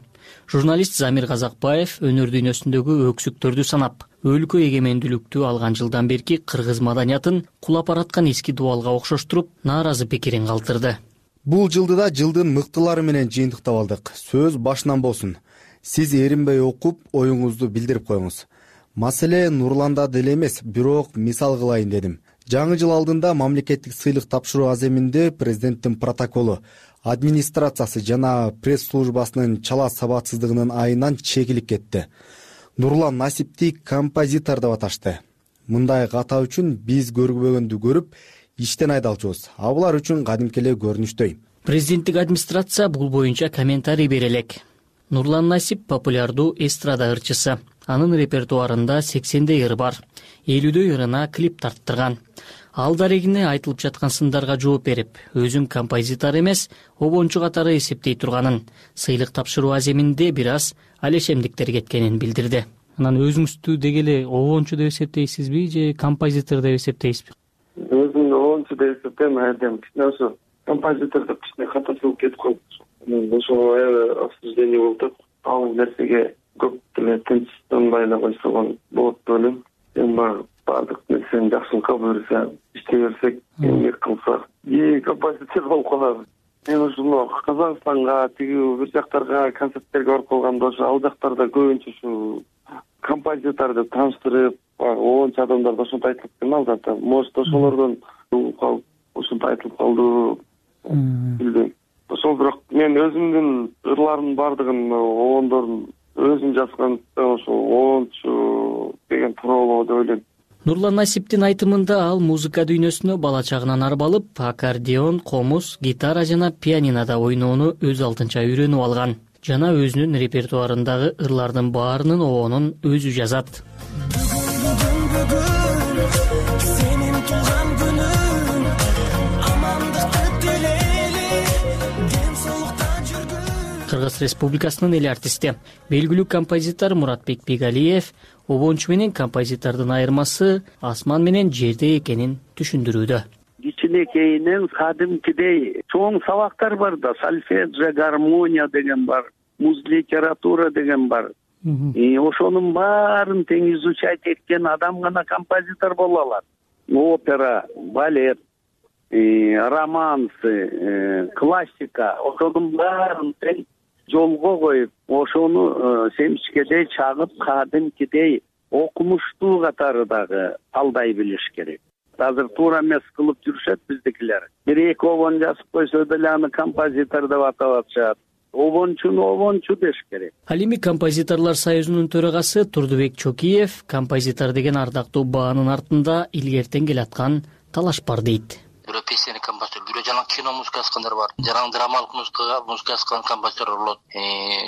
Speaker 19: Журналист Замир Казакбаев өнөр дүйнөсүндөгү өксүктөрдү санап, өлкө эгемендүүлүктү алган жылдан берки кыргыз маданиятын кулап бараткан эски дубалга окшоштуруп, нааразы пикирин калтырды.
Speaker 16: Бул жылды да жылдын мыктылары менен жыйынтыктап алдык. Сөз башынан болсун. Сиз эринбей окуп, оюңузду билдирип коюңуз. Маселе Нурланда деле эмес, бирок мисал кылайын дедим. Жаңы жыл алдында мамлекеттик сыйлык тапшыруу аземинде президенттин протоколу, администрациясы жана пресс-службасынын чала сабатсыздыгынын айынан чегилип кетти. Нурлан Насипти композитор деп аташты. Мындай ката үчүн биз көрбөгөндү көрүп, иштен айдалчубуз. А булар үчүн кадимки эле көрүнүштөй.
Speaker 19: Президенттик администрация бул боюнча комментарий бере элек. Нурлан Насип популярдуу эстрада ырчысы. Анын репертуарында 80 ыр бар. 50 ырына клип тарттырган. Ал дарегине айтылып жаткан сындарга жооп берип, өзүн композитор эмес, обончу катары эсептей турганын, сыйлык тапшыруу аземинде бир аз алешемдиктер кеткенин билдирди.
Speaker 13: Анан өзүңүздү деги эле обончу деп эсептейсизби же композитор деп эсептейсизби?
Speaker 20: Өзүмдү обончу деп эсептейм, айдем кичине ошо композитор деп кичине катасылып кетип калды. Ошого аябай обсуждение болуп, ал нерсеге көп деле тынчтанбай эле койсо болот деп ойлойм. Баардык нерсени жакшылыкка буюрса, иштей берсек, эмгек кылсак, композитор болуп калабыз. Мен ушуну Казакстанга, бир жактарга концерттерге барып калганда, ошо ал жактарда көбүнчө ушу композитор деп тааныштырып, обончу адамдар ошентип айтылып кеткен алда. Может, ошолордон угуп калып, ошентип айтылып калды. Билбейм. Ошол бирок мен өзүмдүн ырларымдын баардыгын обондордун өзүм жазган, ошо обончу деген туура болобу деп ойлойм.
Speaker 19: Нурлан Насиптин айтымында ал музыка дүйнөсүнө бала чагынан арбалып, аккордеон, комуз, гитара жана пианинода ойноону өз алдынча үйрөнүп алган. Жана өзүнүн репертуарындагы ырлардын баарынын обонун өзү жазат. Кыргыз Республикасынын эл артисти, белгилүү композитор Муратбек Бегалиев обончу менен композитордун айырмасы асман менен жерде экенин түшүндүрүүдө.
Speaker 21: Кичинекейинен кадимкидей чоң сабактар бар да, сольфеджио, гармония деген бар, муз литература деген бар. Ошонун баарын тең изучать эткен адам гана композитор боло алат. Опера, балет, романсы, классика, ошонун баарын тең жолго коюп, ошону семчкедей чагып, кадимкидей окумуштуу катары дагы талдай билиш керек. Азыр туура эмес кылып жүрүшөт биздикилер. Бир-эки обон жазып койсо деле аны композитор деп атап атышат. Обончуну обончу деш керек.
Speaker 19: Ал эми композиторлор союзунун төрагасы Турдубек Чокиев композитор деген ардактуу баанын артында илгертен келаткан талаш бар дейт.
Speaker 2: бирөө песенник композитор, бирөө жанагы кино музыка жазгандар бар, жанагы драмалык музыка жазган композиторлор болот,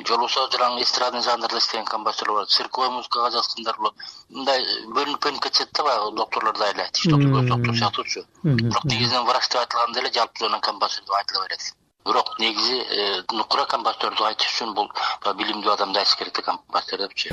Speaker 2: жолбосо жанагы эстрадный жанрда иштеген композиторлор болот, цирковой музыкага жазгандар болот. Мындай бөлүнүп кетет да баягы докторлордо эле, тиш доктор сыяктуучу. Бирок негизинен врач деп айтылганда эле жалпы композитор деп айтыла берет. Бирок негизи нукура композиторду айтыш үчүн бул билимдүү адам да керек да композитор депчи.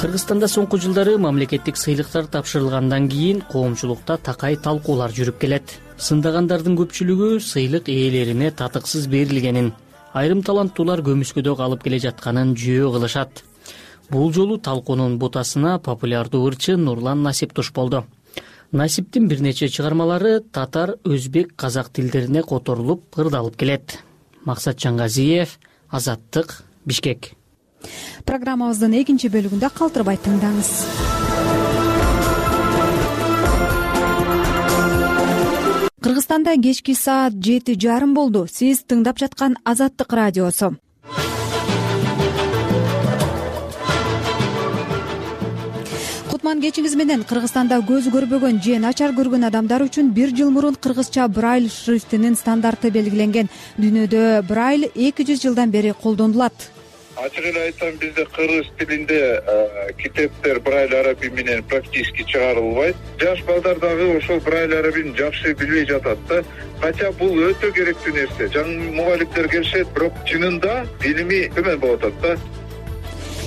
Speaker 19: Кыргызстанда соңку жылдары мамлекеттик сыйлыктар тапшырылгандан кийин коомчулукта такай талкуулар жүрүп келет. Сындагандардын көпчүлүгү сыйлык ээлерине татыксыз берилгенин, айрым таланттуулар көмүскөдө калып келе жатканын жөө кылышат. Бул жолу талкуунун бутасына популярдуу ырчы Нурлан Насип туш болду. Насиптин бир нече чыгармалары татар, өзбек, казак тилдерине которулуп, ырдалып келет. Максат Чангазиев, Азаттык, Бишкек.
Speaker 1: Программабыздын экинчи бөлүгүндө калтырбай тыңдаңыз. Кыргызстанда кечки саат 7:30 болду. Сиз тыңдап жаткан Азаттык радиосу. Кутман кечиңиз менен. Кыргызстанда көз көрбөгөн же начар көргөн адамдар үчүн 1 жыл мурун кыргызча брайль шрифтинин стандарты белгиленген. Дүйнөдө брайль 200 жылдан бери колдонулат.
Speaker 22: Ачык эле айтсам, бизде кыргыз тилинде китептер брайль арабий менен практически чыгарылбайт. Жаш балдар дагы ошол брайль арабийни жакшы билбей жатат да. Кача бул өтө керектүү нерсе. Жаңы мугалимдер келишет, бирок чынында билими төмөн болуп атат да.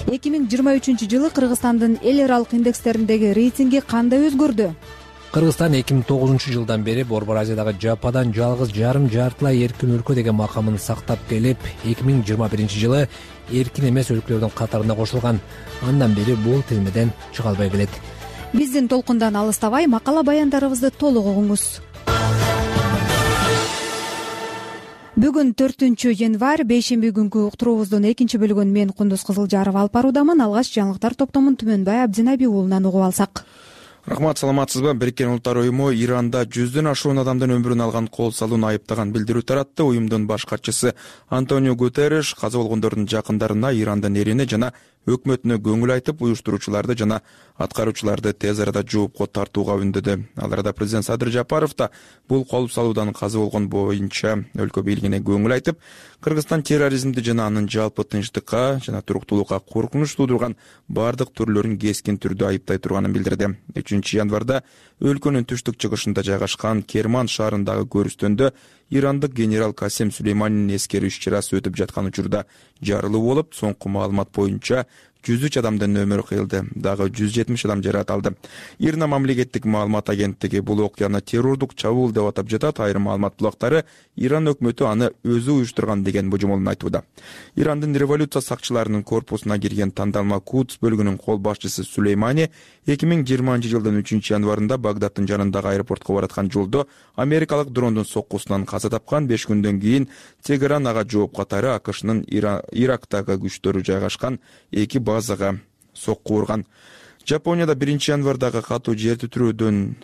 Speaker 1: 2023 жылы Кыргызстандын эл аралык индекстериндеги рейтинги кандай өзгөрдү?
Speaker 23: Кыргызстан 2009 жылдан бери Борбор Азиядагы жападан жалгыз жарым жартылай эркин өлкө деген макамын сактап келип, 2021 жылы эркин эмес өлкөлөрдүн катарына кошулган. Андан бери бул тизмеден чыга албай келет.
Speaker 1: Биздин толкундан алыстабай макала баяндарыбызды толук угуңуз. Бүгүн 4 январь, бейшемби күнкү уктуруубуздун экинчи бөлүгүн мен Кундуз Кызылжарова алып баруудамын. Алгач жаңылыктар топтомун Түмөнбай Абдинаби уулунан угуп алсак.
Speaker 7: Рахмат, саламатсызбы? Бириккен Улуттар уюму Иранда 100дөн ашуун адамдын өмүрүн алган кол салууну айыптаган билдирүү таратты. Уюмдун баш катчысы Антонио Гутерриш каза болгондордун жакындарына, Ирандын эрине жана өкмөтүнө көңүл айтып, уюштуруучуларды жана аткаруучуларды тез арада жоопко тартууга үндөдү. Ал арада президент Садыр Жапаров да бул кол салуудан каза болгон боюнча өлкө бийлигине көңүл айтып, Кыргызстан терроризмди жана анын жалпы тынчтыкка жана туруктуулукка коркунуч туудурган бардык түрлөрүн кескин түрдө айыптай турганын билдирди. 3 январда өлкөнүн түштүк чыгышында жайгашкан Керман шаарындагы көрүстөндө ирандык генерал Касем Сулейманинин эскерүү иш-чарасы өтүп жаткан учурда жарылуу болуп, соңку маалымат боюнча 103 адамдын өмүрү кыйылды, дагы 170 адам жаракат алды. Ирна мамлекеттик маалымат агенттиги бул окуяны террордук чабуул деп атап жатат. Айрым маалымат булактары Иран өкмөтү аны өзү уюштурган деген божомолун айтууда. Ирандын революция сакчыларынын корпусуна кирген тандалма Кудс бөлүгүнүн кол башчысы Сулеймани 2020 жылдын 3 январында Багдаддын жанындагы аэропортко бараткан жолдо америкалык дрондун соккусунан каза тапкан. 5 күндөн кийин Тегеран ага жооп катары АКШнын Ирактагы күчтөрү жайгашкан 2 базага сокку урган. Жапонияда 1 январдагы катуу жер титирөөдөн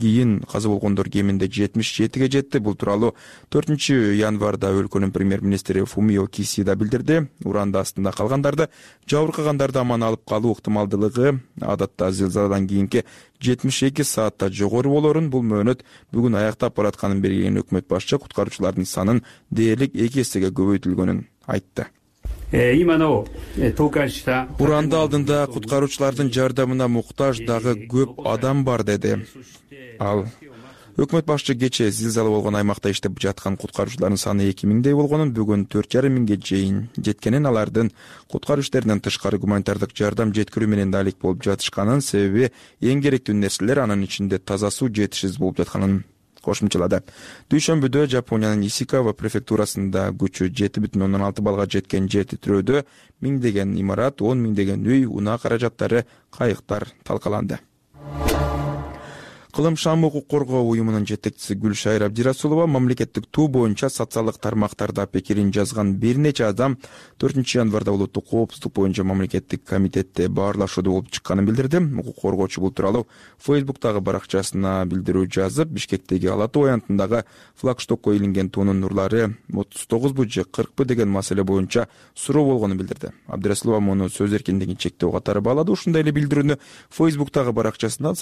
Speaker 7: кийин каза болгондор кеминде 77ге жетти. Бул тууралуу 4 январда өлкөнүн премьер-министри Фумио Кисида билдирди. Уранда астында калгандарды, жабыркагандарды аман алып калуу ыктымалдуулугу адатта зилзаладан кийинки 72 саатта жогору болорун, бул мөөнөт бүгүн аяктап баратканын белгилеген өкмөт башчы куткаруучулардын санын дээрлик 2 эсеге көбөйтүлгөнүн айтты. Уранда алдында куткаруучулардын жардамына муктаж дагы көп адам бар, деди ал. Өкмөт башчы кечээ зилзала болгон аймакта иштеп жаткан куткаруучулардын саны 2000дей болгонун, бүгүн 4,5 миңге чейин жеткенин, алардын куткаруу иштеринен тышкары гуманитардык жардам жеткирүү менен да алек болуп жатышканын, себеби эң керектүү нерселер, анын ичинде таза суу жетишсиз болуп жатканын кошумчалады. Дүйшөмбүдө Жапониянын Исикава префектурасында күчү 7,6 балга жеткен жер титирөөдө миңдеген имарат, 10 миңдеген үй, унаа каражаттары, кайыктар талкаланды. Кылымшам укук коргоо уюмунун жетекчиси Гүлшайыр Абдирасулова мамлекеттик туу боюнча социалдык тармактарда пикирин жазган бир нече адам 4-январда улуттук коопсуздук боюнча мамлекеттик комитетте баарлашууда болуп чыкканын билдирди. Укук коргоочу бул тууралуу Фейсбуктагы баракчасына билдирүү жазып, Бишкектеги Ала Тоо аянтындагы флагштокко илинген туунун нурлары 39бу же 40бы деген маселе боюнча суроо болгонун билдирди. Абдирасулова муну сөз эркиндигин чектөө катары баалады. Ушундай эле билдирүүнү Фейсбуктагы баракчасына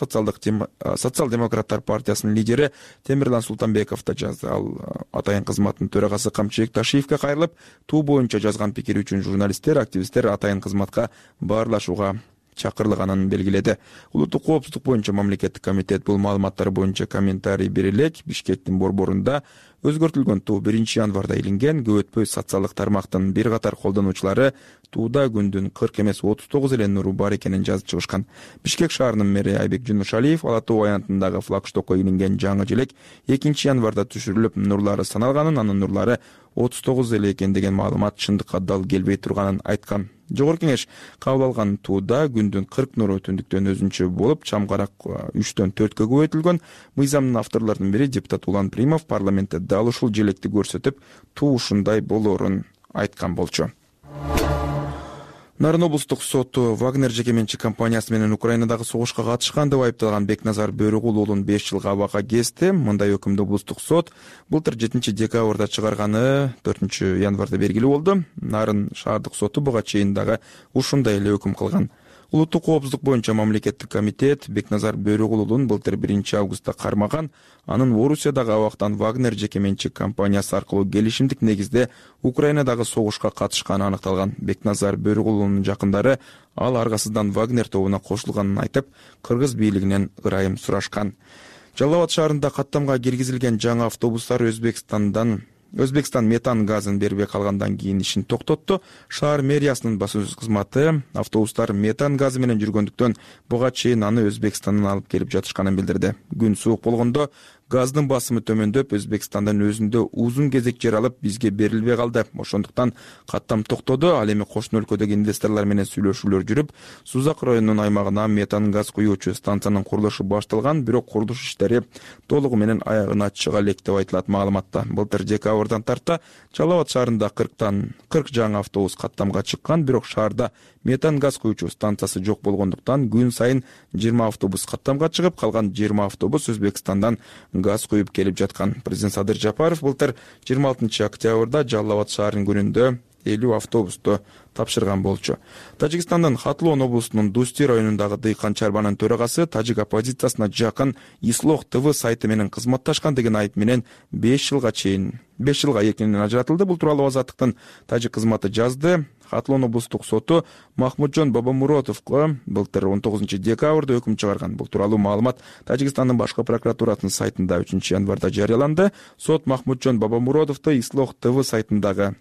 Speaker 7: Социал-демократтар партиясынын лидери Темирлан Султанбеков да жазды. Ал атайын кызматтын төрагасы Камчыбек Ташиевке кайрылып, туу боюнча жазган пикири үчүн журналисттер, активисттер атайын кызматка баарлашууга чакырылганын белгиледи. Улуттук коопсуздук боюнча мамлекеттик комитет бул маалыматтар боюнча комментарий бере элек. Бишкектин борборунда өзгөртүлгөн туу 1-январда илинген. Көп өтпөй социалдык тармактын бир катар колдонуучулары тууда күндүн 40 эмес 39 эле нуру бар экенин жазып чыгышкан. Бишкек шаарынын мэри Айбек Жунушалиев Ала Тоо аянтындагы флагштокко илинген жаңы желек 2-январда түшүрүлүп, нурлары саналганын, анын нурлары 39 эле экен деген маалымат чындыкка дал келбей турганын айткан. Жогорку кеңеш кабыл алган тууда күндүн 40 нуру түндүктөн өзүнчө болуп, чамгарак 3-төн 4кө көбөйтүлгөн. Мыйзамдын авторлорунун бири депутат Улан Примов парламентте дал ушул желекти көрсөтүп, туу ушундай болоорун айткан болчу. Нарын облустук соту Вагнер жеке менчик компаниясы менен Украинадагы согушка катышкан деп айыпталган Бекназар Бөрүгул уулун 5 жылга абакка кести. Мындай өкүмдү облустук сот былтыр 7-декабрда чыгарганы 4-январда белгилүү болду. Нарын шаардык соту буга чейин дагы ушундай эле өкүм кылган. Улуттук коопсуздук боюнча мамлекеттик комитет Бекназар Бөрүгул уулун былтыр 1-августта кармаган. Анын Орусиядагы абактан Вагнер жеке менчик компаниясы аркылуу келишимдик негизде Украинадагы согушка катышканы аныкталган. Бекназар Бөрүгул уулунун жакындары ал аргасыздан Вагнер тобуна кошулганын айтып, кыргыз бийлигинен ырайым сурашкан. Жалал Абад шаарында каттамга киргизилген жаңы автобустар Өзбекстан метан газын бербей калгандан кийин ишин токтотту. Шаар мэриясынын басуу кызматы автобустар метан газы менен жүргөндүктөн буга чейин аны Өзбекстандан алып келип жатышканын билдирди. Күн суук болгондо газдын басымы төмөндөп, Өзбекстандан өзүндө узун кезек жер алып, бизге берилбей калды. Ошондуктан каттам токтоду. Ал эми кошуна өлкөдөгү инвесторлор менен сүйлөшүүлөр жүрүп, Сузак районунун аймагына метан газ куюучу станциянын курулушу башталган, бирок курулуш иштери толугу менен аягына чыга элек деп айтылат маалыматта. Былтыр декабрдан тарта Жалал Абад шаарында 40 жаңы автобус каттамга чыккан, бирок шаарда метан газ куюучу станциясы жок болгондуктан күн сайын 20 автобус каттамга чыгып, калган 20 автобус Өзбекстандан газ куюп келип жаткан. Президент Садыр Жапаров былтыр 26 октябрда Жалал Абад шаарынын күнүндө 50 автобусту тапшырган болчу. Тажикстандын Хатлон облусунун Дусти районундагы дыйкан чарбанын төрагасы тажик оппозициясына жакын Ислох ТВ сайты менен кызматташкан деген айып менен 5 жылга эркинен ажыратылды. Бул тууралуу Азаттыктын тажик кызматы жазды. Хатлон облустук соту Махмуджон Бабамуротовго былтыр 19 декабрда өкүм чыгарган. Бул тууралуу маалымат Тажикстандын башкы прокуратурасынын сайтында 3-январда жарыяланды. Сот Махмуджон Бабамуротовду Ислох ТВ сайтындагы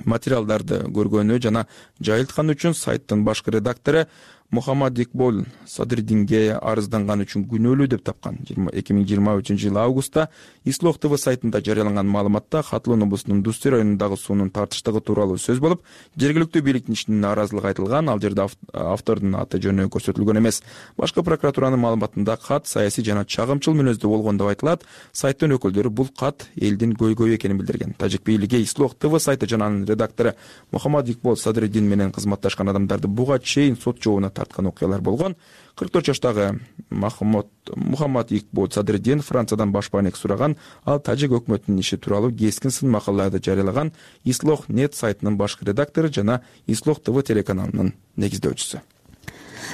Speaker 7: материалдарды көргөнү жана жайылткан үчүн сайттын башкы редактору Мухаммад Икбол Садриддинге арызданган үчүн күнөөлүү деп тапкан. 2023 августта Ислох ТВ сайтында жарыяланган маалыматта Хатлон облусунун Дусти районундагы суунун тартыштыгы тууралуу сөз болуп, жергиликтүү бийликтин ишине нааразылык айтылган. Ал жерде автордун аты жөнү көрсөтүлгөн эмес. Башкы прокуратуранын маалыматында кат саясий жана чагымчыл мүнөздө болгон деп айтылат. Сайттын өкүлдөрү бул кат элдин көйгөйү экенин билдирген. Тажик бийлиги Ислох ТВ сайты жана анын редактору Мухаммад Икбол Садриддин менен кызматташкан адамдарды буга чейин сот жообуна тарткан окуялар болгон. 44 жаштагы Мухаммад Икбол Садриддин Франциядан башпаанек сураган. Ал тажик өкмөтүнүн иши тууралуу кескин сын макалаларды жарыялаган Ислох нет сайтынын башкы редактору жана Ислох ТВ телеканалынын негиздөөчүсү.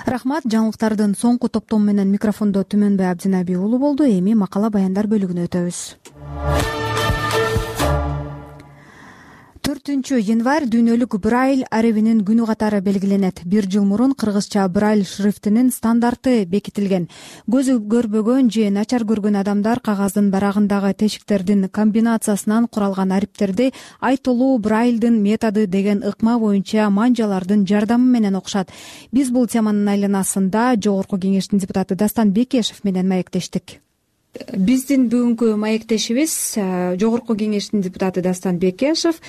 Speaker 1: Рахмат. Жаңылыктардын соңку топтому менен микрофондо Түмөнбай Абдинаби уулу болду. Эми макала баяндар бөлүгүнө өтөбүз. 4-январь дүйнөлүк Брайль аребинин күнү катары белгиленет. 1 жыл мурун кыргызча Брайль шрифтинин стандарты бекитилген. Көзү көрбөгөн же начар көргөн адамдар кагаздын барагындагы тешиктердин комбинациясынан куралган ариптерди айтылуу Брайльдын методу деген ыкма боюнча манжалардын жардамы менен окушат. Биз бул теманын айланасында Жогорку кеңештин депутаты Дастан Бекешев менен маектештик. Биздин бүгүнкү маектешибиз Жогорку кеңештин депутаты Дастан Бекешев.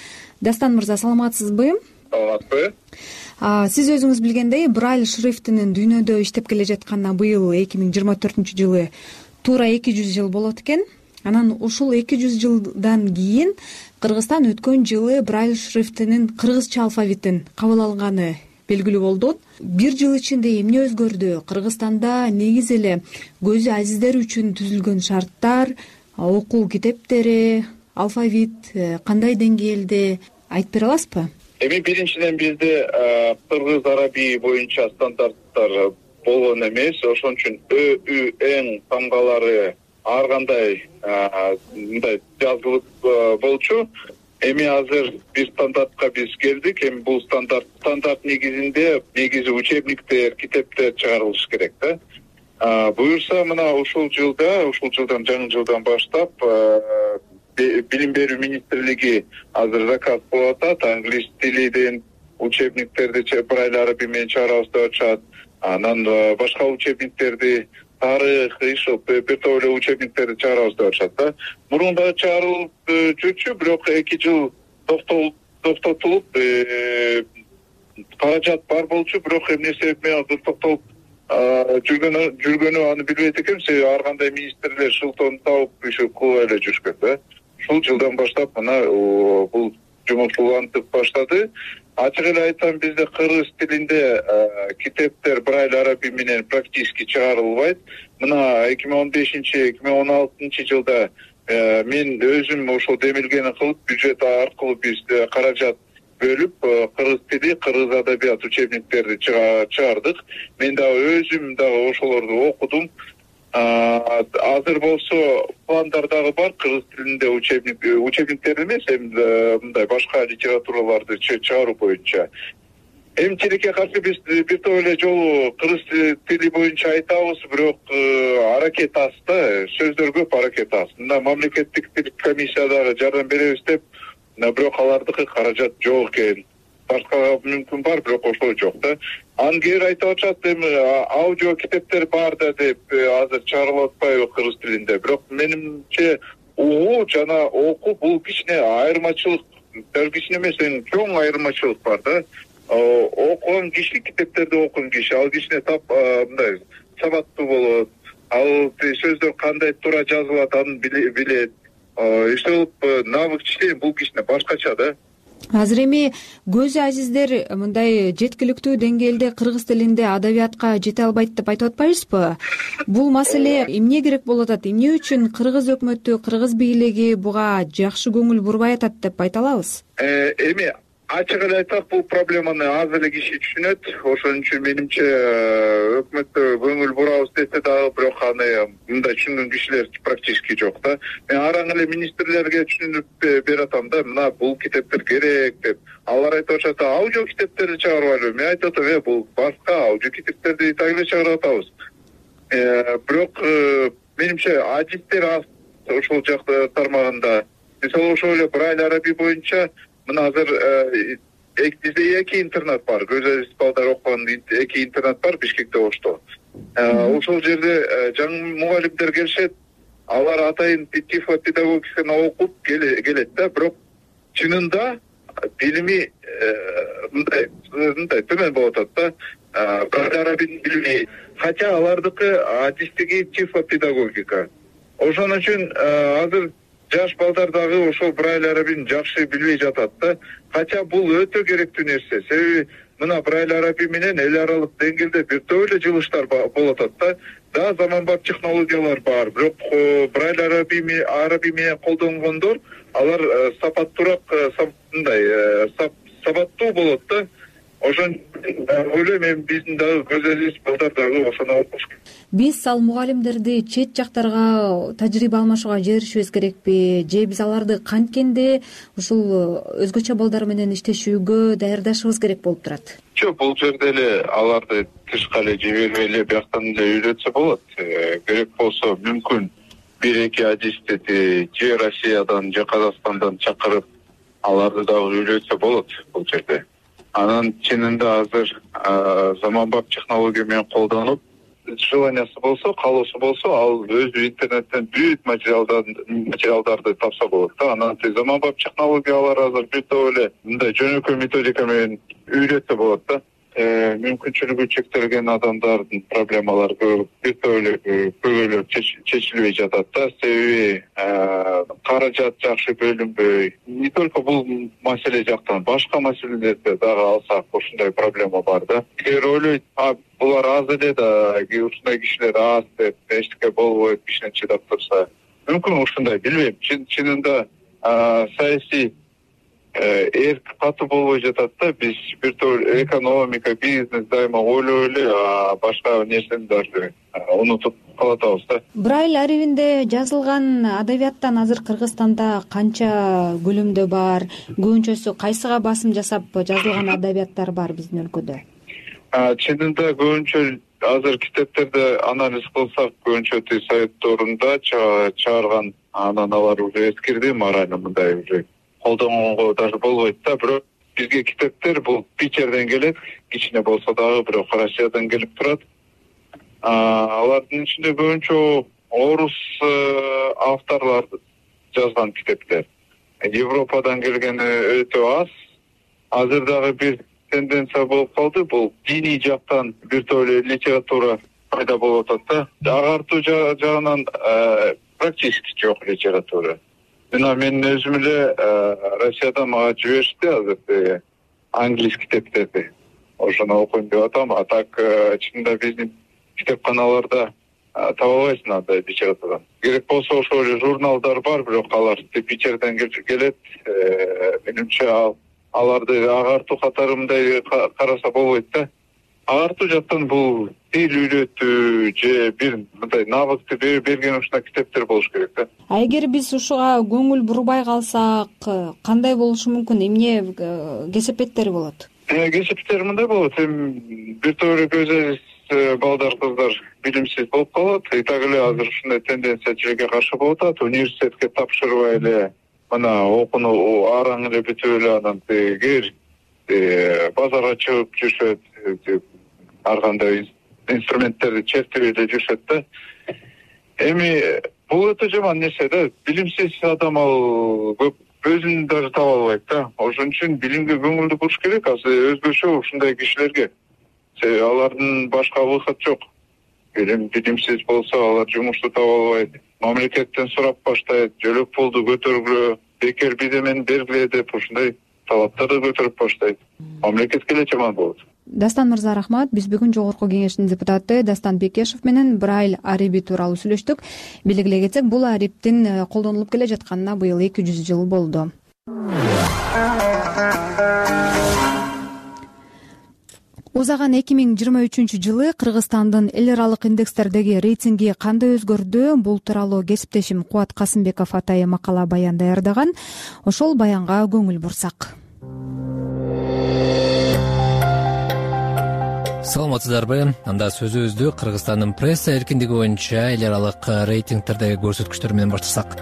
Speaker 1: Дастан мырза, саламатсызбы?
Speaker 22: Саламатпы.
Speaker 1: Сиз өзүңүз билгендей, Брайль шрифтинин дүйнөдө иштеп келе жатканына быйыл 2024 жылы туура 200 жыл болот экен. Анан ушул 200 жылдан кийин Кыргызстан өткөн жылы брайль шрифтинин кыргызча алфавитин кабыл алганы белгилүү болду. Бир жыл ичинде эмне өзгөрдү? Кыргызстанда негизи эле көзү азиздер үчүн түзүлгөн шарттар, окуу китептери, алфавит кандай деңгээлде айтып бере аласызбы?
Speaker 22: Эми биринчиден бизде кыргыз арабий боюнча стандарттар болгон эмес, ошон үчүн эң тамгалары ар кандай мындай жазылып болчу. Эми азыр бир стандартка биз келдик. Эми бул стандарт негизи учебниктер, китептер чыгарылышы керек да. Буюрса мына ушул жылдан жаңы жылдан баштап билим берүү министрлиги азыр заказ кылып атат. Англис тилинен учебниктерди брайль арабий менен чыгарабыз деп атышат. Анан башка учебниктерди, тарых, бир топ эле учебниктерди чыгарабыз деп атышат да. Мурун да чыгарылып жүрчү, бирок 2 жыл токтотулуп, каражат бар болчу, бирок эмне себеп менен токтолуп жүргөнү аны билбейт экенбиз. Себеби ар кандай министрлер шылтоон табып кылып эле жүрүшкөн да. Ушул жылдан баштап мына бул жумуш улантып баштады. Ачык эле айтсам, бизде кыргыз тилинде китептер брайль арабий менен практически чыгарылбайт. Мына 2015-2016 жылда мен өзүм ошол демилгени кылып, бюджет аркылуу биз каражат бөлүп, кыргыз тили, кыргыз адабият учебниктерди чыгардык. Мен дагы өзүм дагы ошолорду окудум. Азыр болсо пландар дагы бар кыргыз тилинде учебниктер эмес, мындай башка литератураларды чыгаруу боюнча. Эми тилекке каршы биз бир топ эле жолу кыргыз тили боюнча айтабыз, бирок аракет аз да, сөздөр көп, аракет аз. Мына мамлекеттик тил комиссиядагы жардам беребиз деп, бирок алардыкы каражат жок экен. Башкага мүмкүн бар, бирок ошол жок да. Анан кээ бир айтып атышат, эми аудио китептер бар да деп азыр чыгарылып атпайбы кыргыз тилинде. Бирок менимче угуу жана окуу бул кичине айырмачылык, кичине эмес, чоң айырмачылык бар да. Окуган киши, китептерди окуган киши, ал кичине мындай сабаттуу болот. Ал сөздөр кандай туура жазылат, аны билет. Ошол навык чечен бул кичине башкача да.
Speaker 1: Азыр эми көзү азиздер мындай жеткиликтүү деңгээлде кыргыз тилинде адабиятка жете албайт деп айтып атпайбызбы? Бул маселе эмне керек болуп атат? Эмне үчүн кыргыз өкмөтү, кыргыз бийлиги буга жакшы көңүл бурбай атат деп айта алабыз?
Speaker 22: Эми ачык эле айтсак, бул проблеманы аз эле киши түшүнөт. Ошон үчүн менимче өкмөттө көңүл бурабыз десе дагы, бирок аны мындай түшүнгөн кишилер практически жок да. Мен араң эле министрлерге түшүнүп берип атам да, мына бул китептер керек деп. Алар айтып атышат, аудио китептерди чыгарбайлыбы? Мен айтып атам, бул башка аудио китептерди так эле чыгарып атабыз. Бирок менимче адистер аз ошол жак тармагында. Мисалы ошол эле брайль арабий боюнча мына азыр бизде 2 интернат бар. Көз азиз балдар окуган 2 интернат бар Бишкекте, Ошто. Ошол жерде жаңы мугалимдер келишет. Алар атайын тифло педагогиканы окуп келет да, бирок чынында билими мындай төмөн болуп атат да. Брайль арабийдин билими, хотя алардыкы адистиги тифло педагогика. Ошон үчүн азыр жаш балдар дагы ошол брайль арабийни жакшы билбей жатат да. Хотя бул өтө керектүү нерсе. Себеби мына брайль арабий менен эл аралык деңгээлде бир топ эле жылыштар болуп атат да. Да, заманбап технологиялар бар, бирок брайль арабий менен колдонгондор алар сапаттуураак, мындай сабаттуу болот да. Ошон ойлойм, эми биздин дагы көз азиз балдар дагы ошону окуш керек.
Speaker 1: Биз ал мугалимдерди чет жактарга тажрыйба алмашууга жиберишибиз керекпи? Же биз аларды канткенде ушул өзгөчө балдар менен иштешүүгө даярдашыбыз керек болуп турат?
Speaker 22: Жок, бул жерде эле аларды тышка эле жибербей эле бияктан эле үйрөтсө болот. Керек болсо мүмкүн 1-2 адисти же Россиядан же Казакстандан чакырып аларды дагы үйрөтсө болот бул жерде. Анан чынында азыр заманбап технология менен колдонуп, желаниясы болсо, каалоосу болсо, ал өзү интернеттен бүт материалдарды тапса болот да. Анан заманбап технологиялар азыр бир топ эле мындай жөнөкөй методика менен үйрөтсө болот да. мүмкүнчүлүгү чектелген адамдардын проблемалары көбүрөөк чечилбей жатат да. Себеби каражат жакшы бөлүнбөй. Не только бул маселе жактан, башка маселелерде дагы алсак ушундай проблема бар да. Эгер ойлойт, булар аз эле да, ушундай кишилер аз деп, эчтеке болбойт, кишинен чыдап турса. Мүмкүн ушундай, билбейм. Чынында саясий эрк катуу болбой жатат да. Биз бир топ экономика, бизнес дайыма ойлой эле, башка нерсени дагы унутуп калатабыз да.
Speaker 1: Брайль арибинде жазылган адабияттан азыр Кыргызстанда канча көлөмдө бар? Көбүнчөсү кайсыга басым жасап жазылган адабияттар бар биздин өлкөдө?
Speaker 22: Чынында көбүнчө азыр китептерди анализ кылсак, көбүнчө советторунда чыгарган, анан алар уже эскирди, морально мындай уже колдонгонго даже болбойт да. Бирок бизге китептер бул Питерден келет, кичине болсо дагы, бирок Россиядан келип турат. Алардын ичинде көбүнчө орус авторлор жазган китептер. Европадан келгени өтө аз. Азыр дагы бир тенденция болуп калды, бул диний жактан бир топ литература пайда болуп атат да. Агартуу жагынан практически жок литература. Мен өзүм эле Россиядан мага жиберишти азыр англис китептерди. Ошону окуйм деп атам. А так чынында биздин китепканаларда таба албайсың андай литератураны. Керек болсо ошол эле журналдар бар, бирок алар Питерден келет. Менимче аларды агартуу катары мындай караса болбойт да. Агартуу жактан бул тил үйрөтүү же бир мындай навыкты берген ушундай китептер болуш керек да.
Speaker 1: Эгер биз ушуга көңүл бурбай калсак, кандай болушу мүмкүн? Эмне кесепеттери болот?
Speaker 22: Кесепеттери мындай болот. Бир топ көзөз балдар, кыздар билимсиз болуп калат. И так эле азыр ушундай тенденция тилекке каршы болуп атат. Университетке тапшырбай эле мына окууну араң эле бүтүп эле анан кир базарга чыгып жүрүшөт. Ар кандай инструменттерди чертип эле жүрүшөт да. Эми бул өтө жаман нерсе да. Билимсиз адам ал көп өзүн даже таба албайт да. Ошон үчүн билимге көңүлдү буруш керек. Азыр өзгөчө ушундай кишилерге. Алардын башка выход жок. Билимсиз болсо алар жумушту таба албайт. Мамлекеттен сурап баштайт, жөлөк пулду көтөргүлө, бекер бирдемени бергиле деп ушундай талаптарды көтөрүп баштайт. Мамлекетке эле жаман болот.
Speaker 1: Дастан мырза, рахмат. Биз бүгүн жогорку кеңештин депутаты Дастан Бекешев менен Брайль ариби тууралуу сүйлөштүк. Белгилей кетсек, бул ариптин колдонулуп келе жатканына быйыл 200 жыл болду. Узаган 2023-жылы Кыргызстандын эл аралык индекстердеги рейтинги кандай өзгөрдү? Бул тууралуу кесиптешим Кубат Касымбеков атайын макала баян даярдаган. Ошол баянга көңүл бурсак.
Speaker 23: Саламатсыздарбы? Анда сөзүбүздү Кыргызстандын пресса эркиндиги боюнча эл аралык рейтингтердеги көрсөткүчтөр менен баштасак.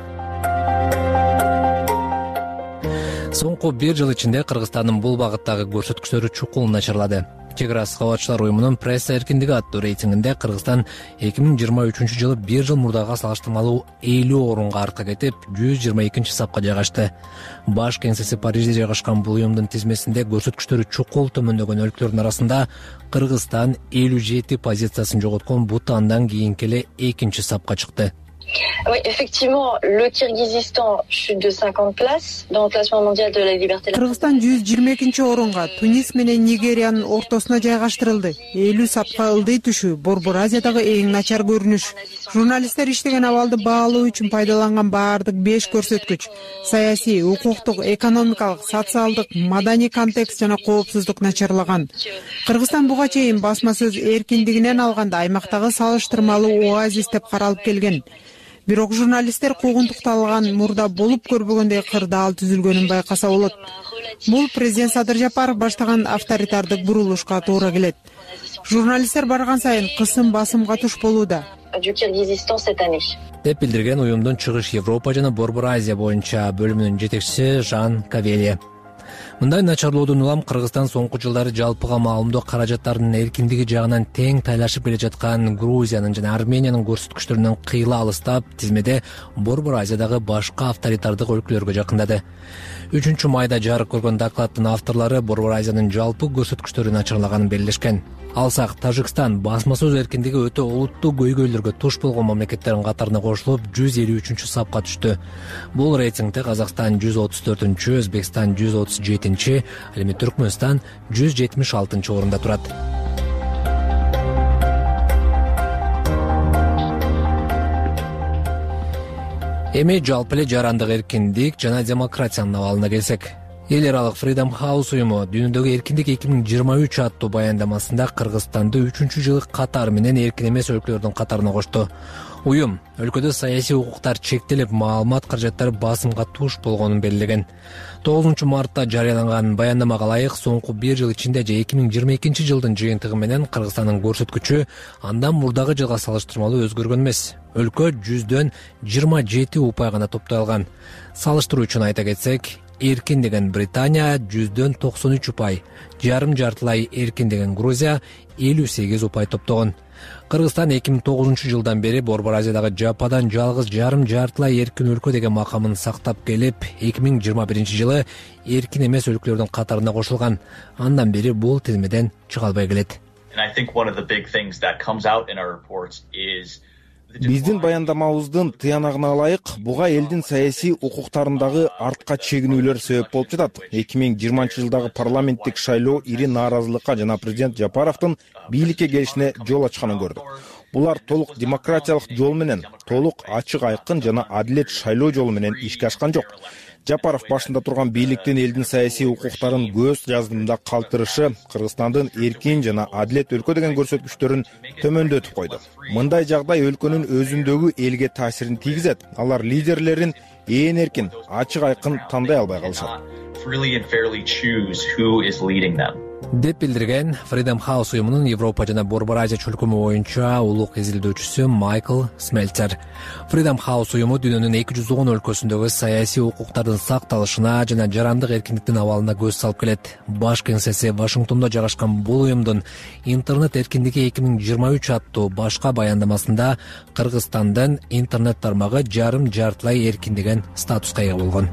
Speaker 23: Соңку 1 жыл ичинде Кыргызстандын бул багыттагы көрсөткүчтөрү чукул начарлады. Чек ара кабатчылар уюмунун пресса эркиндиги аттуу рейтингинде Кыргызстан 2023-жылы 1 жыл мурдага салыштырмалуу 50 орунга артка кетип, 122-сапка жайгашты. Баш кеңсеси Парижде жайгашкан бул уюмдун тизмесинде көрсөткүчтөрү чукул төмөндөгөн өлкөлөрдүн арасында Кыргызстан 57 позициясын жоготкон Бутандан кийинки эле 2-сапка чыкты.
Speaker 3: Oui, effectivement, le Kirghizistan chute de 50 places dans le classement mondial de la liberté.
Speaker 8: Кыргызстан 122-орунга Тунис менен Нигериянын ортосуна жайгаштырылды. 50 сапка ылдый түшүү Борбор Азиядагы эң начар көрүнүш. Журналисттер иштеген абалды баалоо үчүн пайдаланган баардык 5 көрсөткүч — саясий, укуктук, экономикалык, социалдык, маданий контекст жана коопсуздук начарлаган. Кыргызстан буга чейин басма сөз эркиндигинен алганда аймактагы салыштырмалуу оазис деп каралып келген. Бирок журналисттер куугунтукталган мурда болуп көрбөгөндөй кырдаал түзүлгөнүн байкаса болот. Бул президент Садыр Жапаров баштаган авторитардык бурулушка туура келет. Журналисттер барган сайын кысым басымга туш болууда
Speaker 23: деп билдирген уюмдун Чыгыш Европа жана Борбор Азия боюнча бөлүмүнүн жетекчиси Жан Кавеле. мындай начарлоодон улам Кыргызстан соңку жылдары жалпыга маалымдоо каражаттарынын эркиндиги жагынан тең тайлашып келе жаткан Грузиянын жана Армениянын көрсөткүчтөрүнөн кыйла алыстап, тизмеде Борбор Азиядагы башка авторитардык өлкөлөргө жакындады. 3 майда жарык көргөн докладдын авторлору Борбор Азиянын жалпы көрсөткүчтөрү начарлаганын белгилешкен. Алсак, Тажикстан басма сөз эркиндиги өтө олуттуу көйгөйлөргө туш болгон мамлекеттердин катарына кошулуп, 153 сапка түштү. Бул рейтингде Казакстан 134-чү, Өзбекстан 137-чи, ал эми Түркмөнстан 176-чы орунда турат. Эми жалпы эле жарандык эркиндик жана демократиянын абалына келсек. Эл аралык Freedom House уюму дүйнөдөгү эркиндик 2023 аттуу баяндамасында Кыргызстанды 3-жылы катары менен эркин эмес өлкөлөрдүн катарына кошту. Уюм өлкөдө саясий укуктар чектелип, маалымат каражаттары басымга туш болгонун белгилеген. 9 мартта жарыяланган баяндамага ылайык, соңку 1 жыл ичинде же 2022 жылдын жыйынтыгы менен Кыргызстандын көрсөткүчү андан мурдагы жылга салыштырмалуу өзгөргөн эмес. Өлкө 100дөн 27 упай гана топтой алган. Салыштыруу үчүн айта кетсек, эркин деген Британия 100дөн 93 упай, жарым-жартылай эркин деген Грузия 58 упай топтогон. Кыргызстан 2009 жылдан бери Борбор Азиядагы жападан жалгыз жарым-жартылай эркин өлкө деген макамын сактап келип, 2021 жылы эркин эмес өлкөлөрдүн катарына кошулган. Андан бери бул тизмеден чыга албай келет.
Speaker 4: Биздин баяндамабыздын тыянагына ылайык, буга элдин саясий укуктарындагы артка чегинүүлөр себеп болуп жатат. 2020 жылдагы парламенттик шайлоо ири нааразылыкка жана президент Жапаровдун бийликке келишине жол ачканын көрдүк. Булар толук демократиялык жол менен, толук ачык айкын жана адилет шайлоо жолу менен ишке ашкан жок. Жапаров башында турган бийликтин элдин саясий укуктарын көз жаздымда калтырышы Кыргызстандын эркин жана адилет өлкө деген көрсөткүчтөрүн төмөндөтүп койду. Мындай жагдай өлкөнүн өзүндөгү элге таасирин тийгизет. Алар лидерлерин ээн эркин, ачык айкын тандай албай калышат
Speaker 23: деп билдирген Freedom House уюмунун Европа жана Борбор Азия чөлкөмү боюнча улук изилдөөчүсү Майкл Смельцер. Freedom House уюму дүйнөнүн 210 өлкөсүндөгү саясий укуктардын сакталышына жана жарандык эркиндиктин абалына көз салып келет. Баш кеңсеси Вашингтондо жайгашкан бул уюмдун интернет эркиндиги 2023 аттуу башка баяндамасында Кыргызстандын интернет тармагы жарым-жартылай эркин деген статуска ээ болгон.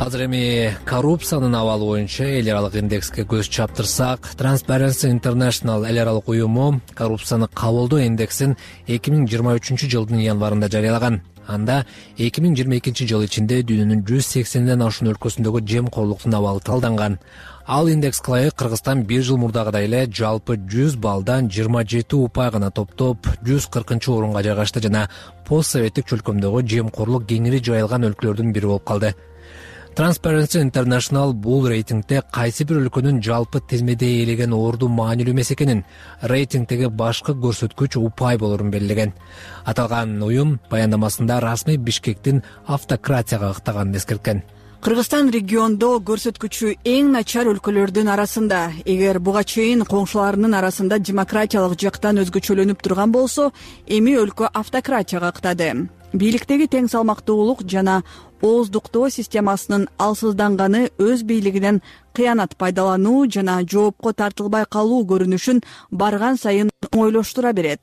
Speaker 23: Азыр эми коррупциянын абалы боюнча эл аралык индекске көз чаптырсак, Transparency International эл аралык уюму коррупцияны кабылдоо индексин 2023 жылдын январында жарыялаган. Анда 2022 жыл ичинде дүйнөнүн 180ден ашуун өлкөсүндөгү жемкорлуктун абалы талданган. Ал индекске ылайык Кыргызстан 1 жыл мурдагыдай эле жалпы 100 баллдан 27 упай гана топтоп 140-орунга жайгашты жана постсоветтик чөлкөмдөгү жемкорлук кеңири жайылган өлкөлөрдүн бири болуп калды. Transparency International бул рейтингде кайсы бир өлкөнүн жалпы тизмеде ээлеген орду маанилүү эмес экенин, рейтингдеги башкы көрсөткүч упай болорун белгилеген. Аталган уюм баяндамасында расмий Бишкектин автократияга ыктаганын эскерткен.
Speaker 12: Кыргызстан региондо көрсөткүчү эң начар өлкөлөрдүн арасында. Эгер буга чейин коңшуларынын арасында демократиялык жактан өзгөчөлөнүп турган болсо, эми өлкө автократияга ыктады. Бийликтеги тең салмактуулук жана ооздуктоо системасынын алсызданганы өз бийлигинен кыянат пайдалануу жана жоопко тартылбай калуу көрүнүшүн барган сайын оңойлоштура берет.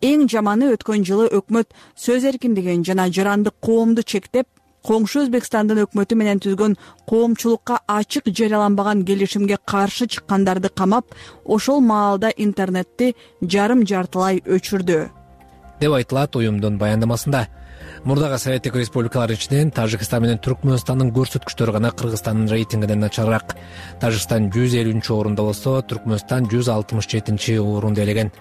Speaker 12: Эң жаманы өткөн жылы өкмөт сөз эркиндигин жана жарандык коомду чектеп, коңшу Өзбекстандын өкмөтү менен түзгөн коомчулукка ачык жарыяланбаган келишимге каршы чыккандарды камап, ошол маалда интернетти жарым-жартылай өчүрдү
Speaker 23: деп айтылат уюмдун баяндамасында. Мурдагы Советтик республикалар ичинен Тажикстан менен Түркмөнстандын көрсөткүчтөрү гана Кыргызстандын рейтингинен начарыраак. Тажикстан 150-чы орунда болсо, Түркмөнстан 167-чи орунду ээлеген.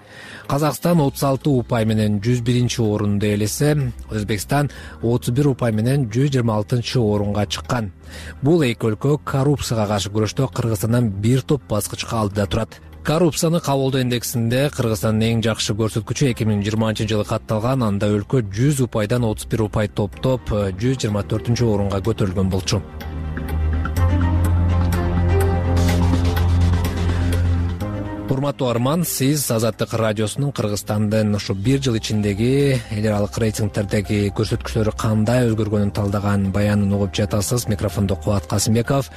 Speaker 23: Казакстан 36 упай менен 101-чи орунду ээлесе, Өзбекстан 31 упай менен 126-чы орунга чыккан. Бул эки өлкө коррупцияга каршы күрөштө Кыргызстандан бир топ баскычка алдыда турат. Коррупцияны кабылдоо индексинде Кыргызстандын эң жакшы көрсөткүчү 2020 жылы катталган. Анда өлкө 100 упайдан 31 упай топтоп 124-орунга көтөрүлгөн болчу. урматтуу арман, сиз Азаттык радиосунун Кыргызстандын ушу бир жыл ичиндеги эл аралык рейтингдердеги көрсөткүчтөрү кандай өзгөргөнүн талдаган баянын угуп жатасыз. Микрофондо Кубат Касымбеков.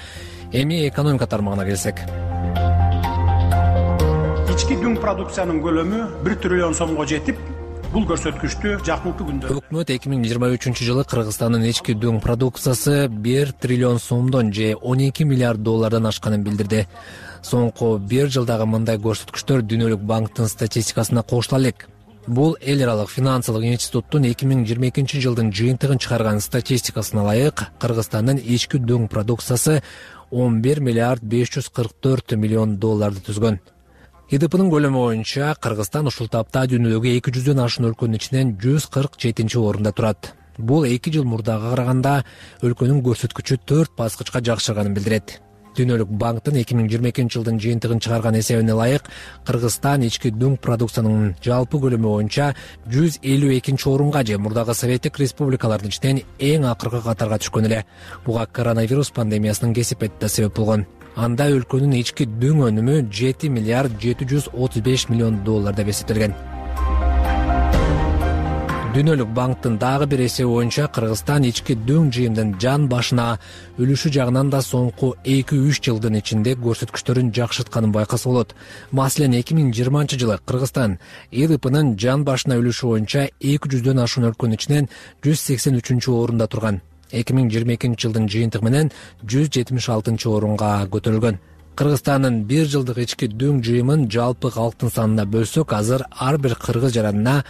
Speaker 23: Эми экономика тармагына келсек,
Speaker 9: ички дүң продукциянын көлөмү 1 триллион сомго жетип, бул көрсөткүчтү жакынкы күндө
Speaker 23: өкмөт 2023-жылы Кыргызстандын ички дүң продукциясы 1 триллион сомдон же 12 миллиард доллардан ашканын билдирди. Соңку бир жылдагы мындай көрсөткүчтөр Дүйнөлүк банктын статистикасына кошула элек. Бул эл аралык финансылык институттун 2022-жылдын жыйынтыгын чыгарган статистикасына ылайык Кыргызстандын ички дүң продукциясы 11 миллиард 544 миллион долларды түзгөн. ИДПнын көлөмү боюнча Кыргызстан ушул тапта дүйнөдөгү 200дөн ашуун өлкөнүн ичинен 147-орунда турат. Бул 2 жыл мурдага караганда өлкөнүн көрсөткүчү 4 баскычка жакшырганын билдирет. Дүйнөлүк банктын 2022-жылдын жыйынтыгын чыгарган эсебине ылайык Кыргызстан ички дүң продукциянын жалпы көлөмү боюнча 152-орунга же мурдагы Советтик республикалардын ичинен эң акыркы катарга түшкөн эле. Буга коронавирус пандемиясынын кесепети да себеп болгон. Анда өлкөнүн ички дүң өнүмү 7 миллиард 735 миллион доллар деп эсептелген. Дүйнөлүк банктын дагы бир эсеби боюнча Кыргызстан ички дүң жыйымдын жан башына үлүшү жагынан да соңку 2-3 жылдын ичинде көрсөткүчтөрүн жакшыртканын байкаса болот. Маселен, 2020-жылы Кыргызстан ИДПнын жан башына үлүшү боюнча 200дөн ашуун өлкөнүн ичинен 183-орунда турган. 2022-жылдын жыйынтыгы менен 176-орунга көтөрүлгөн. Кыргызстандын бир жылдык ички дүң жыйымын жалпы калктын санына бөлсөк, азыр ар бир кыргыз жаранына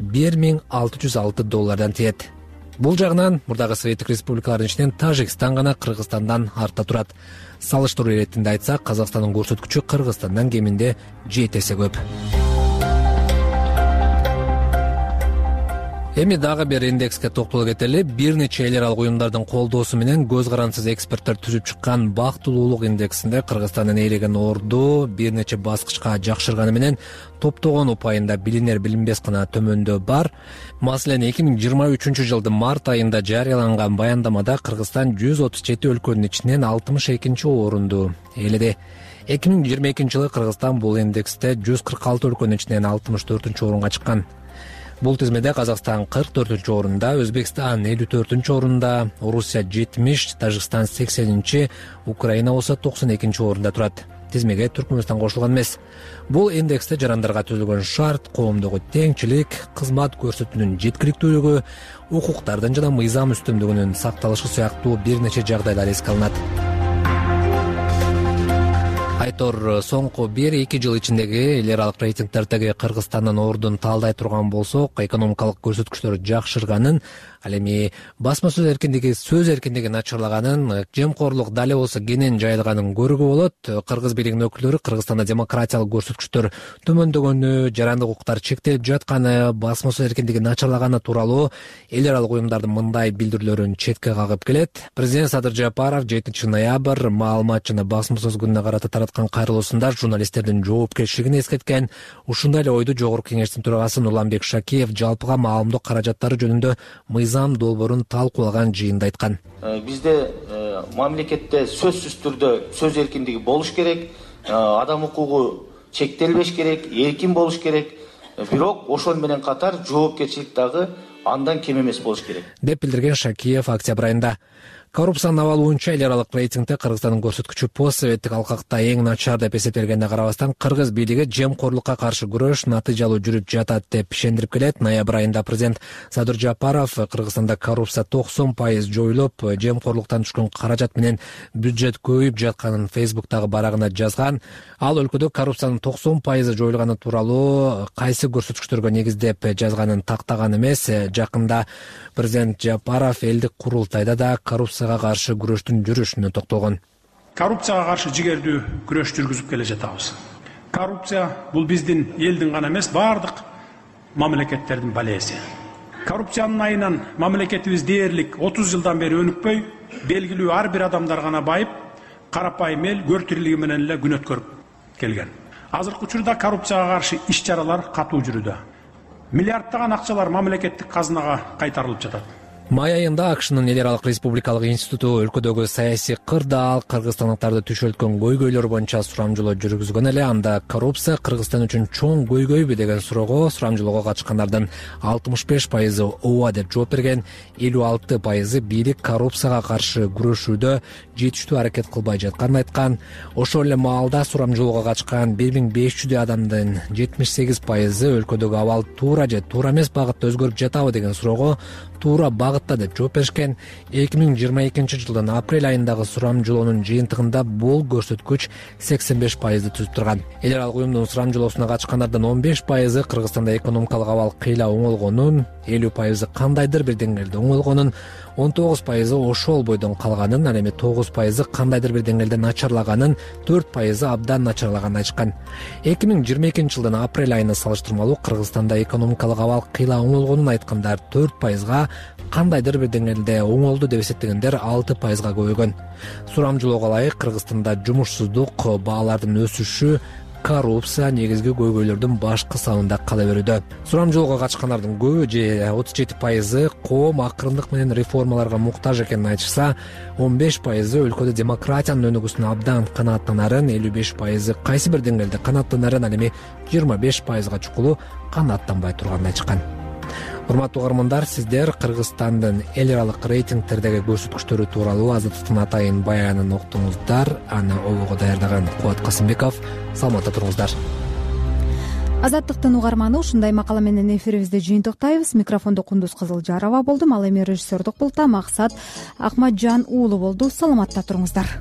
Speaker 23: $1606 тиет. Бул жагынан мурдагы Советтик республикалардын ичинен Тажикстан гана Кыргызстандан артта турат. Салыштыруу иретинде айтсак, Казакстандын көрсөткүчү Кыргызстандан кеминде 7 эсе көп. Эми дагы бир индекске токтоло кетели. Бир нече эл аралык уюмдардын колдоосу менен көз карансыз эксперттер түзүп чыккан бактылуулук индексинде Кыргызстандын ээлеген орду бир нече баскычка жакшырганы менен топтогон упайында билинер билинбес гана төмөндөө бар. Маселен, 2023-жылдын март айында жарыяланган баяндамада Кыргызстан 137 өлкөнүн ичинен 62-орунду ээледи. 2022-жылы Кыргызстан бул индексте 146 өлкөнүн ичинен 64-орунга чыккан. Бул тизмеде Казакстан 44-орунда, Өзбекстан 54-орунда, Орусия 70, Тажикстан 80, Украина болсо 92-орунда турат. Тизмеге Түркмөнстан кошулган эмес. Бул индексте жарандарга түзүлгөн шарт, коомдогу теңчилик, кызмат көрсөтүүнүн жеткиликтүүлүгү, укуктардын жана мыйзам үстүмдүгүнүн сакталышы сыяктуу бир нече жагдайлар эске алынат. Айтор, соңку 1-2 жыл ичиндеги эл аралык рейтингдердеги Кыргызстандын ордун талдай турган болсок, экономикалык көрсөткүчтөр жакшырганын, ал эми басма сөз эркиндиги начарлаганын, жемкорлук дали болсо кенен жайылганын көрүүгө болот. Кыргыз бийлигинин өкүлдөрү Кыргызстанда демократиялык көрсөткүчтөр төмөндөгөнү, жарандык укуктар чектелип жатканы, басма сөз эркиндиги начарлаганы тууралуу эл аралык уюмдардын мындай билдирүүлөрүн четке кагып келет. Президент Садыр Жапаров 7-ноябрь маалымат жана басма сөз күнүнө карата тараткан кайрылуусунда журналисттердин жоопкерчилигин эскерткен. Ушундай эле ойду Жогорку Кеңештин төрагасы Нурланбек Шакиев жалпыга маалымдоо каражаттары жөнүндө мыйзам долбоорун талкуулаган жыйында айткан.
Speaker 10: Бизде мамлекетте сөзсүз түрдө сөз эркиндиги болуш керек, адам укугу чектелбеш керек, эркин болуш керек. Бирок ошол менен катар жоопкерчилик дагы андан кем эмес болуш керек,
Speaker 23: деп билдирген Шакиев октябрь айында. Коррупциянын абалы боюнча эл аралык рейтингде Кыргызстандын көрсөткүчү постсоветтик алкакта эң начар деп эсептелгенине карабастан, кыргыз бийлиги жемкорлукка каршы күрөш натыйжалуу жүрүп жатат деп ишендирип келет. Ноябрь айында президент Садыр Жапаров Кыргызстанда коррупция 90% жоюлуп, жемкорлуктан түшкөн каражат менен бюджет көбөйүп жатканын Facebook'тагы барагына жазган. Ал өлкөдө коррупциянын 90% жоюлганы тууралуу кайсы көрсөткүчтөргө негиздеп жазганын тактаган эмес. Жакында президент Жапаров элдик курултайда да коррупцияга каршы күрөштүн жүрүшүнө токтолгон.
Speaker 9: Коррупцияга каршы жигердүү күрөш жүргүзүп келе жатабыз. Коррупция бул биздин элдин гана эмес, бардык мамлекеттердин балеси. Коррупциянын айынан мамлекетибиз дээрлик 30 жылдан бери өнүкпөй, белгилүү ар бир адамдар гана байып, карапайым эл көр тирилиги менен эле күн өткөрүп келген. Азыркы учурда коррупцияга каршы иш-чаралар катуу жүрүүдө. Миллиарддаган акчалар мамлекеттик казынага кайтарылып жатат.
Speaker 23: Май айында АКШнын эл аралык республикалык институту өлкөдөгү саясий кырдаал, кыргызстандыктарды түшөлткөн көйгөйлөр боюнча сурамжылоо жүргүзгөн эле. Анда коррупция Кыргызстан үчүн чоң көйгөйбү деген суроого сурамжылоого катышкандардын 65% ооба деп жооп берген, 56% бийлик коррупцияга каршы күрөшүүдө жетиштүү аракет кылбай жатканын айткан. Ошол эле маалда сурамжылоого катышкан 1500 адамдын 78% өлкөдөгү абал туура же туура эмес багытта өзгөрүп жатабы деген суроого туура багытта деп жооп беришкен. 2022 жылдын апрель айындагы сурамжылоонун жыйынтыгында бул көрсөткүч 85% түзүп турган. Эл аралык уюмдун сурамжылоосуна катышкандардын 15% Кыргызстанда экономикалык абал кыйла оңолгонун, 50% кандайдыр бир деңгээлде оңолгонун, 19% ошол бойдон калганын, ал эми 9% кандайдыр бир деңгээлде начарлаганын, 4% абдан начарлаганын айтышкан. 2022 жылдын апрель айына салыштырмалуу Кыргызстанда экономикалык абал кыйла оңолгонун айткандар 4%, кандайдыр бир деңгээлде оңолду деп эсептегендер 6%га көбөйгөн. Сурамжылоого ылайык Кыргызстанда жумушсуздук, баалардын өсүшү, коррупция негизги көйгөйлөрдүн башкы санында кала берүүдө. Сурамжылоого катышкандардын көбү же 37% коом акырындык менен реформаларга муктаж экенин айтышса, 15% өлкөдө демократиянын өнүгүүсүнө абдан канааттанарын, 55% кайсы бир деңгээлде канааттанарын, ал эми 25%га чукулу канааттанбай турганын айтышкан. Урматтуу угармандар, сиздер Кыргызстандын эл аралык рейтингтердеги көрсөткүчтөрү тууралуу Азаттыктын атайын баянын уктуңуздар. Аны обого даярдаган Кубат Касымбеков. Саламатта туруңуздар.
Speaker 1: Азаттыктын угарманы, ушундай макала менен эфирибизди жыйынтыктайбыз. Микрофондо Кундуз Кызылжарова болдум. Ал эми режиссердук пултта Максат Акматжан уулу болду. Саламатта туруңуздар.